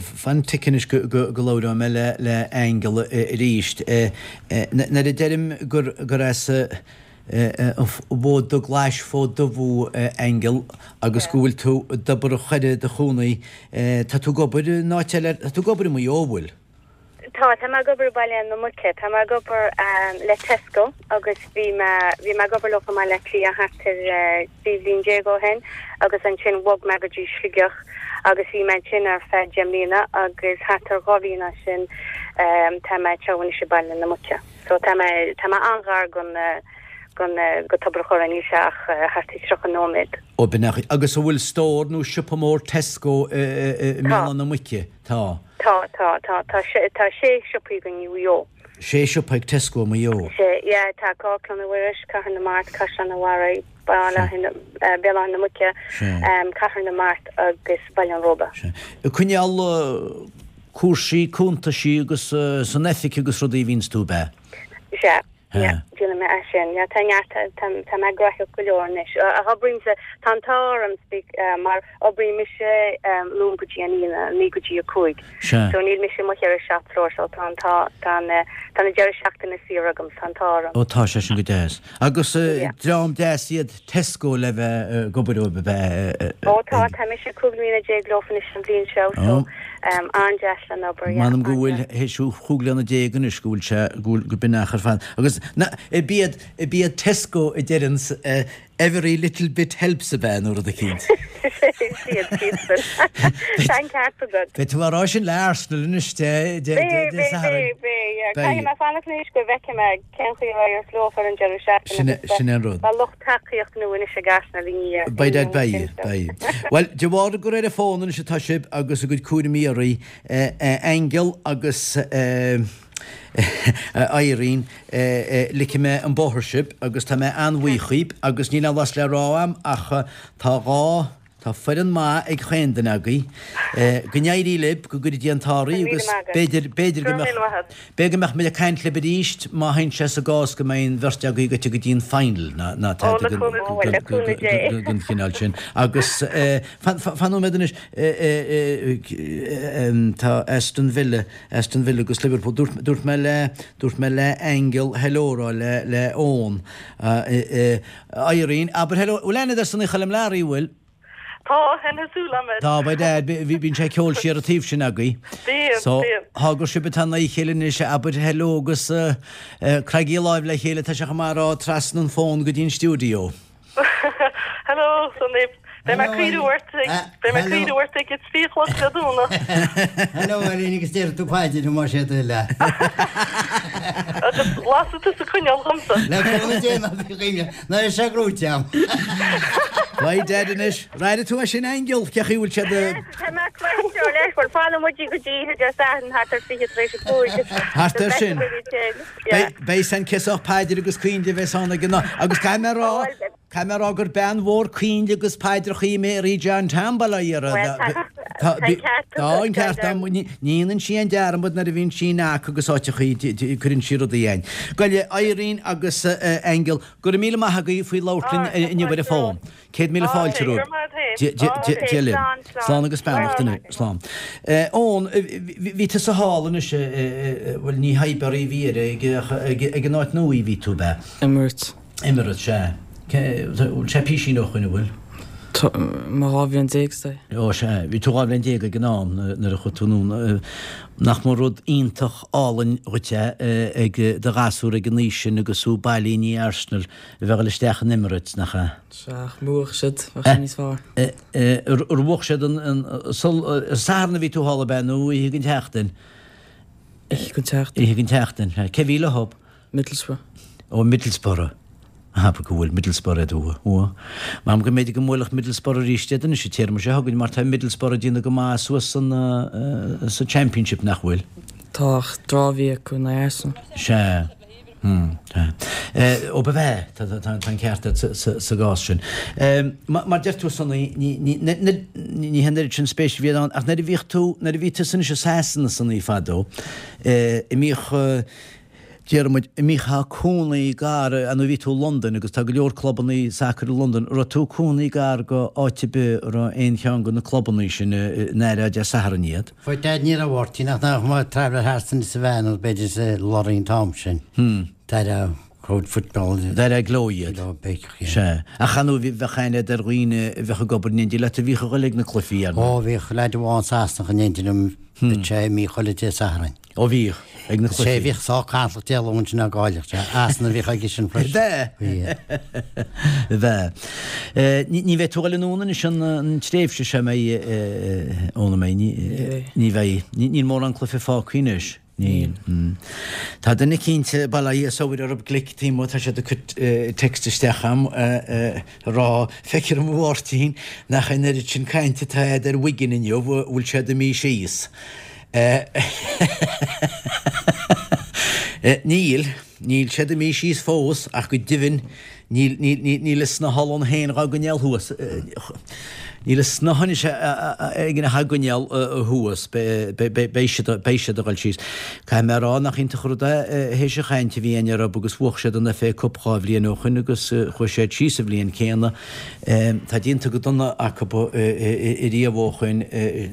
fan tic anois go, go, go labhróidh mé le, le Aingeal arís. Nuair a deirim gur, gur as, an bhFód Dubhghlais, Fód Dubh thú, a Aingeal, agus go bhfuil tú i dTobar an Choire i do chónaí. Tá tú ag obair in áit eile, tá tú ag obair i Maigh Eo, an bhfuil? Tá, tá mé ag obair i Baile na Muice. Tá mé ag obair le Tesco agus bhí mé, bhí mé ag obair leo i mBaile Átha Cliath thart ar 13 bhliain ó shin agus ansin bhog mé go dtí Sligeach agus bhí mé ansin ar feadh 10 mbliana agus thart ar 2 bhliain as sin tá mé anseo anois i Baile na Muice. So tá mé, tá mé an-ghar gon, gon, go Tobar a' Choire, níl sé ach thart ar 30 nóiméad. Ó b'in é. Agus an bhfuil stór nó siopa mór Tesco i, i, i Tá. mBéal Átha na Muice? Tá. Tá, tá, tá, tá sé, tá sé siopaí againn i Mhaigh Eo. Sé siopa ag Tesco i Maigh Eo? Sé, yeah, tá Amharclann an Mhuiris, Cathair na Mart, Caisleán an Bharraigh. Baile Béal Átha na Muice, Cathair na Mart agus Baile an Róba. Sea. Ag coinneáil cúrsaí cuntaisí agus san oifig agus rudaí a bhíonns tú, ab ea? Sea. Yeah, déanaim é sin. Yeah, tá neart, tá mé gnóthach go leor anois. Ach oibrímse, tá an t-ádh orm mar oibrím mise Luan go dtí an Aoine, 9 go dtí 5. Sea. So níl mise amuigh ar a shop floor so tá an t-ádh, tá an, tá na deireadh seachtaine saor agam, tá an t-ádh orm. Ó tá sé sin go deas. Agus dream deas iad Tesco le bheith ag obair dóibh, ab ea? Ó tá, tá mise 15 mbliana leofa anois an bhliain seo so an-deas le n-obair, yeah, M'anam go bhfuil théis chúig bliana déag anois go bhfuil sé, go bhfuil, go b'in achar fada. Agus na, ab iad, ab iad Tesco a deireanns every little bit helps ab ea nó rud eicínt? Siad, siadsan. Tá an ceart agat. Beidh tú á rá sin le Arsenal anois Dé, Dé, Dé, Dé Sathairn. Beidh, beidh, beidh, yeah. Caithfidh mé fanacht anois go bhfeicfidh mé Cén chaoi a raibh leofa ar an deireadh seachtaine agus Sin é an rud. beidh lucht tacaíocht nua anois ag Arsenal i ndiaidh Beidh Dad, beidh, beidh. Bhuel, de bharr gur ar an bhfón anois atá sibh agus a gcuid cúraimí oraibh, Aingeal agus Irene, ligfidh mé an bóthar sibh agus tá mé an-bhuíoch dhaoibh agus níl aon bhlas le rá a'm ach tá dhá Tá foireann maith ag chaon duine agaibh. Go n-éirí libh, go gcuire Dia an t-ádh oraibh agus b'fhéidir, b'fhéidir go mbeadh, b'fhéidir go mbeadh muid ag caint libh arís má théann sé sa gcás go mbeidh an bheirt agaibh goite go dtí an final ná tada den chineál sin. Agus fan, fan nóiméad anois, tá Aston Villa, Aston Villa agus Liverpool, dúirt, dúirt mé le, dúirt mé le Aingeal hello a rá le, le Eoin. Irene, Abair hello, bhfuil aithne agat ar Sonaí Choilm Learaí, bhfuil? Tá, tá súil agam air. Tá, by dad, bíonn sé ag ceol siar an taobh sin agaibh. Bíonn, So, bíonn. thá gur sibh atá in aghaidh a chéile anois, abair hello agus croithigí láimh le chéile, tá sé chomh maith a rá trasna an fón go dtí an stiúideo. Hello, Sonaí. Beidh mé ag cuimhniú ort, beidh mé ag cuimhniú ort ag a trí a chlog Dé Domhnaigh. Hello Irene agus déarfaidh tú paidir más é do thoil é. Agus lasfaidh tusa coinneal dhomsa. Le cúnamh Dé ná bí cuimhne, ná raibh sé gnóite agam. By dad anois, raire tú é sin Aingeal, cé chaoi bhfuil siad a. Tá mé ag cloisteáil leis, bhuel fanfaidh muid go dtí oíche Dé Sathairn thart ar 20 tar éis a 5. Thart ar sin. Beidh san cé sách paidir agus coinnle a bheas ann ag an agus caithfidh mé a rá, caithfidh mé a rá gur bean mhór coinnle agus paidreacha í Mary John Tom, bail ó Dhia uirthi. Tá an ceart Tá an ceart agam. Ní dhéanann sí aon dearmad nuair a bhíonn sí in aca agus áiteachaí cuireann sí rudaí ann. Gabh i leith Irene agus Aingeal, go raibh míle maith agaibh faoi labhairt linn inniu ar an bhfón. 100,000 fáilte romhaibh. Dia libh. Slán agus beannacht anois. Slán. Eoin, bhí tusa thall anois, bhuel ní Highbury a bhí air, ag an áit nua a bhí tú, ab ea? Emirates. Emirates, sea. Bhfuil sé písín ó shoin, an bhfuil? Tá mé 12 bhliain is dóigh. Ó sea, bhí tú 12 bhliain ag an am nuair a chuaigh tú anonn. Nach mba rud iontach álainn dhuit é ag do ghasúr ag an aois sin agus thú bailithe i ndiaidh Arsenal a bheith ag dul isteach in Emirates, nach ea? Sea, ach má bhuaigh siad, bheadh sé níos fearr. Ar bhuaigh siad an Satharn a bhí tú thall, ab ea, nó oíche den tseachtain? Oíche den tseachtain. Oíche den tseachtain, sea. Cé bhí leo? Middlesbrough. Ó, Middlesbrough. Abair go bhfuil Middlesbrough iad uathu. Uathu. M'anam go mb'fhéidir go mbuailfeadh Middlesbrough arís iad anois an téarma seo chugainn mar tá Middlesbrough ag déanamh go maith suas san sa Championship, nach bhfuil? Tá, ach draw a bhí acu in aghaidh Arsenal. Sea. Ó ba bhea, tá an ceart agat sa gcás sin. Mar deir tú Sonaí, ní hé an oiread sin spéis a bhí ann, ach nuair a bhíodh tú, nuair a bhí tusa anois i Sasana Sonaí fadó, a mbíodh, déarfaidh muid, a mbíodh cónaí gar, ar ndóigh bhí tú i Londain agus tá go leor clubanna sacair i Londain, raibh tú cónaí gar go áit ar bith a raibh aon cheann de na clubanna sin in airfeá Dé Sathairn iad? By dad ní raibh Mháirtín ach nach mba traveller thart san sa veain nó b'fhéidir sa lorry an t-am sin. D'aire crowd football. D'aire gleo iad. Gleo b'fhéidir, yeah. Sea. Ach ar ndóigh bheadh aithne agat ar dhaoine a bheadh ag obair in éindí leat a bhíodh ag dul ag na cluichí, ar ndóigh. Ó bhíodh leaid amháin Sasanach in éindí liom, bhíodh sé ag imí chuile Dé Sathairn. Ó bhíodh, ag na cluichí. Sé bhíodh sách cantalach Dé Luain sin ná Gáidhleach, sé Arsenal a bhíodh aige sin freisin. Bheadh. Bheadh. Ní bheidh tú ag dul anonn anois an tréimhse seo mbeidh, Eoin an mbeidh? Ní bheidh. Níl mórán cluiche fágtha anois. Níl. Tá duine eicínt, bail ó Dhia is ó Mhuire orthu glic taobh amuigh, tá siad ag cur text isteach a'm a rá, feictear dom a Mháirtín nach an oiread sin cainte atá a'd ar Wigan inniu, bhfuil siad imithe síos. Níl, níl siad imithe síos fós ach go deimhin Níl, níl, níl, níl a snáth ann féin dhá gcoinneáil thuas. Níl a snáth anois againn dhá gcoinneáil thuas. Beidh siad, beidh siad a dhul síos. Caithfidh mé a rá nach iontach an rud é théis an chaint a bhí againn orthu agus bhuaigh siad an FA Cup 2 bhliain ó shoin agus chuaigh siad síos an bhliain céanna. Tá déanta go dona acu ariamh ó shoin.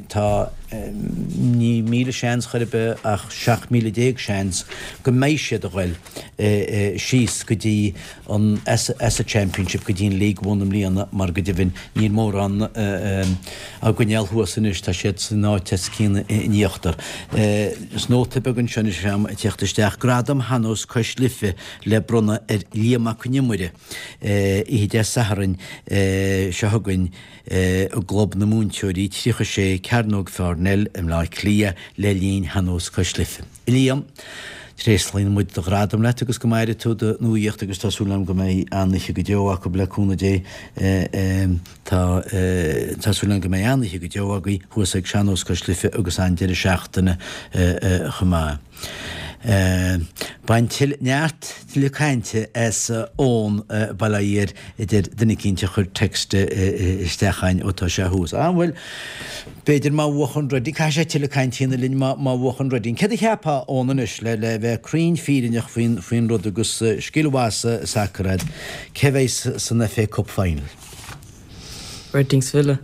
Tá ní 1,000 seans chor ar bith ach 17,000 seans go mbeidh siad a dhul. síos go dtí an as an Championship go dtí an League One i mbliana mar go deimhin níl mórán á gcoinneáil thuas anois, tá siad san áit os cionn in íochtar. Is nóta beag anseo anois agam ag teacht isteach, Gradam Shean-Nós Cois Life le bronnadh ar Liam Mac Con Iomaire oíche Dé Sathairn seo chugainn i gClub na Múinteoirí, 36 Cearnóg Pharnell i mBleá Cliath le linn Shean-Nós Cois Life. Liam, Tréaslaíonn muid do ghradam leat agus go maire tú do nuaíocht agus tá súil agam go mbeidh an-oíche go deo acu le cúnamh Dé. Tá tá súil agam go mbeidh an-oíche go deo agaibh thuas ag Sean-Nós Cois Life agus an-deireadh seachtaine chomh maith. Bain tuilleadh neart tuilleadh cainte as Eoin bail ó Dhia air a deir duine eicínt a chuir text isteach a'inn ó tá sé thuas. Ah bhuel, b'fhéidir má bhuachann Reading, caithfidh sé tuilleadh cainte a dhéanamh linn má má bhuachann Reading. Céard a cheapfá Eoin anois le le bheith cruinn fírinneach faoin faoin rud agus scil mhaith sa sacar a'd, cé bheidh san FA Cup Final? Reading 's Villa.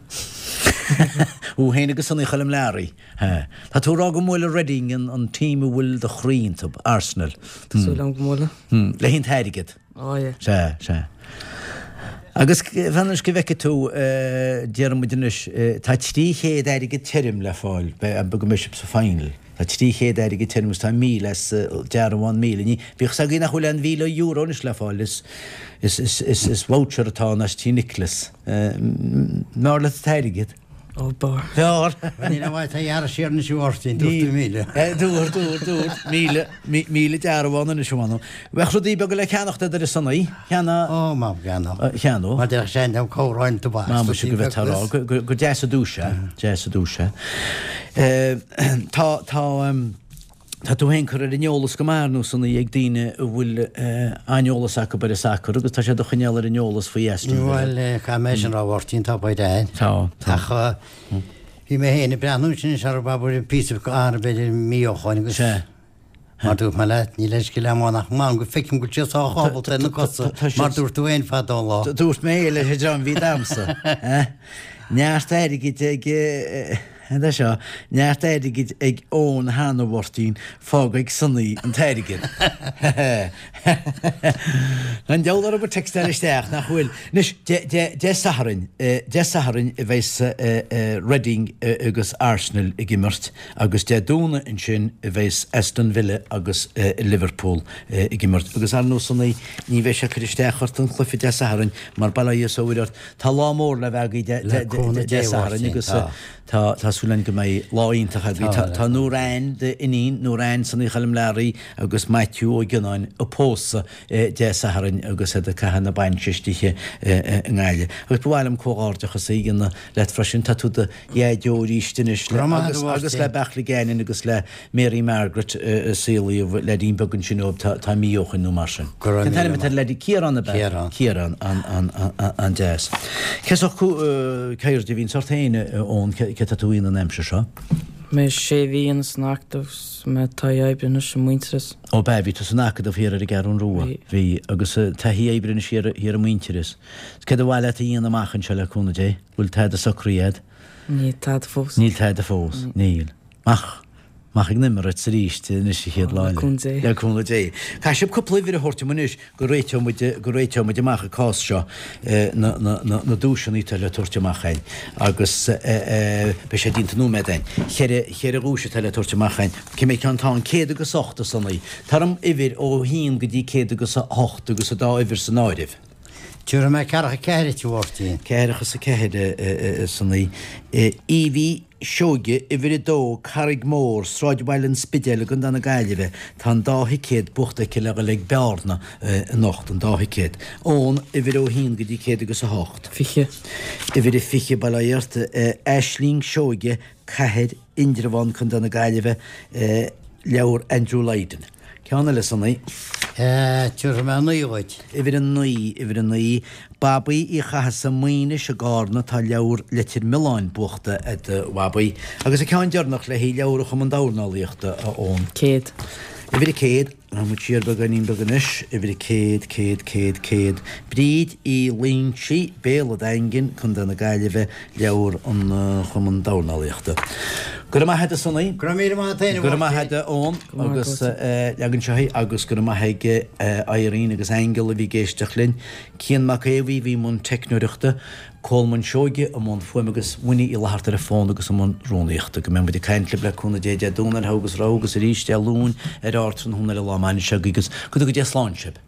Thú féin agus Sonny Choilm Learaí. Ha. Tá tú ag rá go mbuailfidh Reading an an team a bhfuil do chroí iontu, Arsenal. Tá súil agam go mbuailfidh. Hmm. Le haghaidh an t-airgead. Ó yeah. Sea, sea. Agus fan anois go bhfeicfidh tú, déarfaidh muid anois, tá 300 airgead tirim le fáil, go mbeidh sibh sa final. Tá 300 airgead tirim agus tá 1,000 as dearbhán 1,000. Ní, bíodh 's agaibh nach bhfuil aon €1,000 anois le fáil, is, is, is, is, is voucher atá ann as Tí Nicholas. Mb'fhearr leat an t-airgead? Ó, b'fhearr. B'fhearr. Níl aon mhaith a ghearradh siar anois a Mháirtín, dúirt tú 1,000. Dúirt, dúirt, dúirt, 1,000, 1,000 dearbhán anois a mh'anam. Bheadh rudaí beaga le ceannacht a'd ar a son í, cheana. Ó, má cheannach. Cheannódh. Mar déarfadh sé an comhroinnt tobac. Má muise go bhfeictear á, gur deas an duais é, deas an duais é. Tá, tá. Tá tú féin curtha ar an eolas go maith ar nósanna ag daoine a bhfuil an-eolas acu ar an sacar agus tá siad á choinneáil ar an eolas faoi Aston Villa. Bhuel, caithfidh mé sin a rá, a Mháirtín, tá baint a'inn. Tá, tá. Ach bhí mé féin ag breathnú ansin is ar abair píosa b'fhéidir mí ó shoin agus Sea. mar dúirt mé leat, níl aon scil a'm ann ach m'anam go feicim go bhfuil siad sách ábalta ar na cosa mar dúirt tú féin fadó an lá. Dúirt mé leis an dream a bhí damsa. Neart airgid ag. Cad é seo? Neart airgid ag Eoin cheana, a Mháirtín, fág ag Sonaí an t-airgead. Tá an diabhal orthu ag textáil isteach, nach bhfuil? Anois, Dé Sathairn, Dé Sathairn a bheas Reading agus Arsenal ag imirt agus Dé Domhnaigh ansin a bheas Aston Villa agus Liverpool ag imirt. Agus ar ndóigh Sonaí, ní bheidh sé ag cur isteach ort an cluiche Dé Sathairn mar bail ó Dhia is ó Mhuire ort, Tá lá mór le bheith agaibh Dé Sathairn agus tá tá súil againn go mbeidh lá iontach agaibh. Tá Nórain, d'iníon, Nórain Sonaí Choilm Learaí agus Maitiú Ó Gionnáin ag pósadh Dé Sathairn agus iad ag caitheamh na bainse istigh i nGaillimh. Agus ba mhaith liom comhghairdeachas a dhéanamh leat freisin, tá tú i do dhaideo arís anois agus agus le Beachla Gannon agus le Mary Margaret a saolaíodh leaidín beag ansin ó tá mí ó shoin nó mar sin. Cén t-ainm atá ar leaidín? Ciarán ab ea? Ciarán. Ciarán, an-deas. Cé sórt ceirde a bhíonns ort féin, a Eoin, cé tá tú a dhéanamh an aimsir seo? Mé sé mhí ins an Acadamh 's mé taithí oibre anois i Muintearas. Ó b'ea, bhí tú san Acadamh thiar ar an gCeathrún Rua. Bhí. Bhí, agus taithí oibre anois thiar i Muintearas. Céard ba mhaith leat a dhéanamh amach anseo le cúnamh Dé? Bhfuil tada socraithe a'd? Níl tada fós. Níl tada fós, níl. Amach, amach ag na Emirates arís anois an chéad lá Le eile. cúnamh Dé. Le cúnamh Dé. Caithfidh sibh cúpla uimhir a thabhairt dom anois go réiteoidh muid, go réiteoidh muid amach an cás seo, na, na, na, na duaiseanna atá le tabhairt amach a'inn. Agus beidh sé déanta nóiméad a'inn. Cheithre, cheithre dhuais atá le tabhairt amach a'inn. Cé mhéad ceann atá ann? Céad agus ocht a Sonaí. Tabhair dom uimhir ó haon go dtí céad agus a hocht agus an dá uimhir san áireamh. Tabharfaidh mé ceathracha ceathair duit a Mháirtín. Ceathracha is a ceathair a Sonaí. Evie Seoige, Uimhir 2, Carraig Mhór, Sráidbhaile an Spidéil i gContae na Gaillimhe. Tá an dá thicéad buachta aici le dhul ag Bearna anocht, an dá thicéad. Eoin, uimhir ó haon go dtí céad agus a hocht. 20. Uimhir a 20, bail ó Dhia ort. Aisling Seoige, Cathair, Indreabhán, Contae na Gaillimhe, leabhar Andrew Lydon. Ceann eile, Sonaí. Tabharfaidh mé 9 dhuit. Uimhir 9, Uimhir 9, Babaí Uí Chathasaigh Maínis i gCarna tá leabhar Leitir Mealláin buachta ag do Bhabaí. Agus an ceann deireanach le haghaidh leabhar an Chumann Dornálaíochta, a Eoin. 100. Uimhir 100. Rachaidh muid siar beagáinín beag anois, uimhir 100, 100, 100, 100. Bríd Uí Loingsigh, Béal an Daingin, Contae na Gaillimhe, leabhar an Chumann Dornálaíochta. Go raibh maith agat a Sonaí. Go raibh míle maith agat féin a Go raibh maith agat a Eoin agus leagan seo í agus go raibh maith ag Irene agus Aingeal a bhí ag éisteacht linn. Cian Mac Aodha Bhuí a bhí i mbun teicneoireachta. Colmán Seoige i mbun fuaime agus Winnie Uí Fhlatharta ar an bhfón agus i mbun rúnaíochta. Go mbeidh muid ag caint libh le cúnamh Dé Dé Domhnaigh ar Thogha agus Rogha agus arís Dé Luain ar Ardtráthnóna ar an lá maith seo agaibh agus go dtuga Dia slán sibh.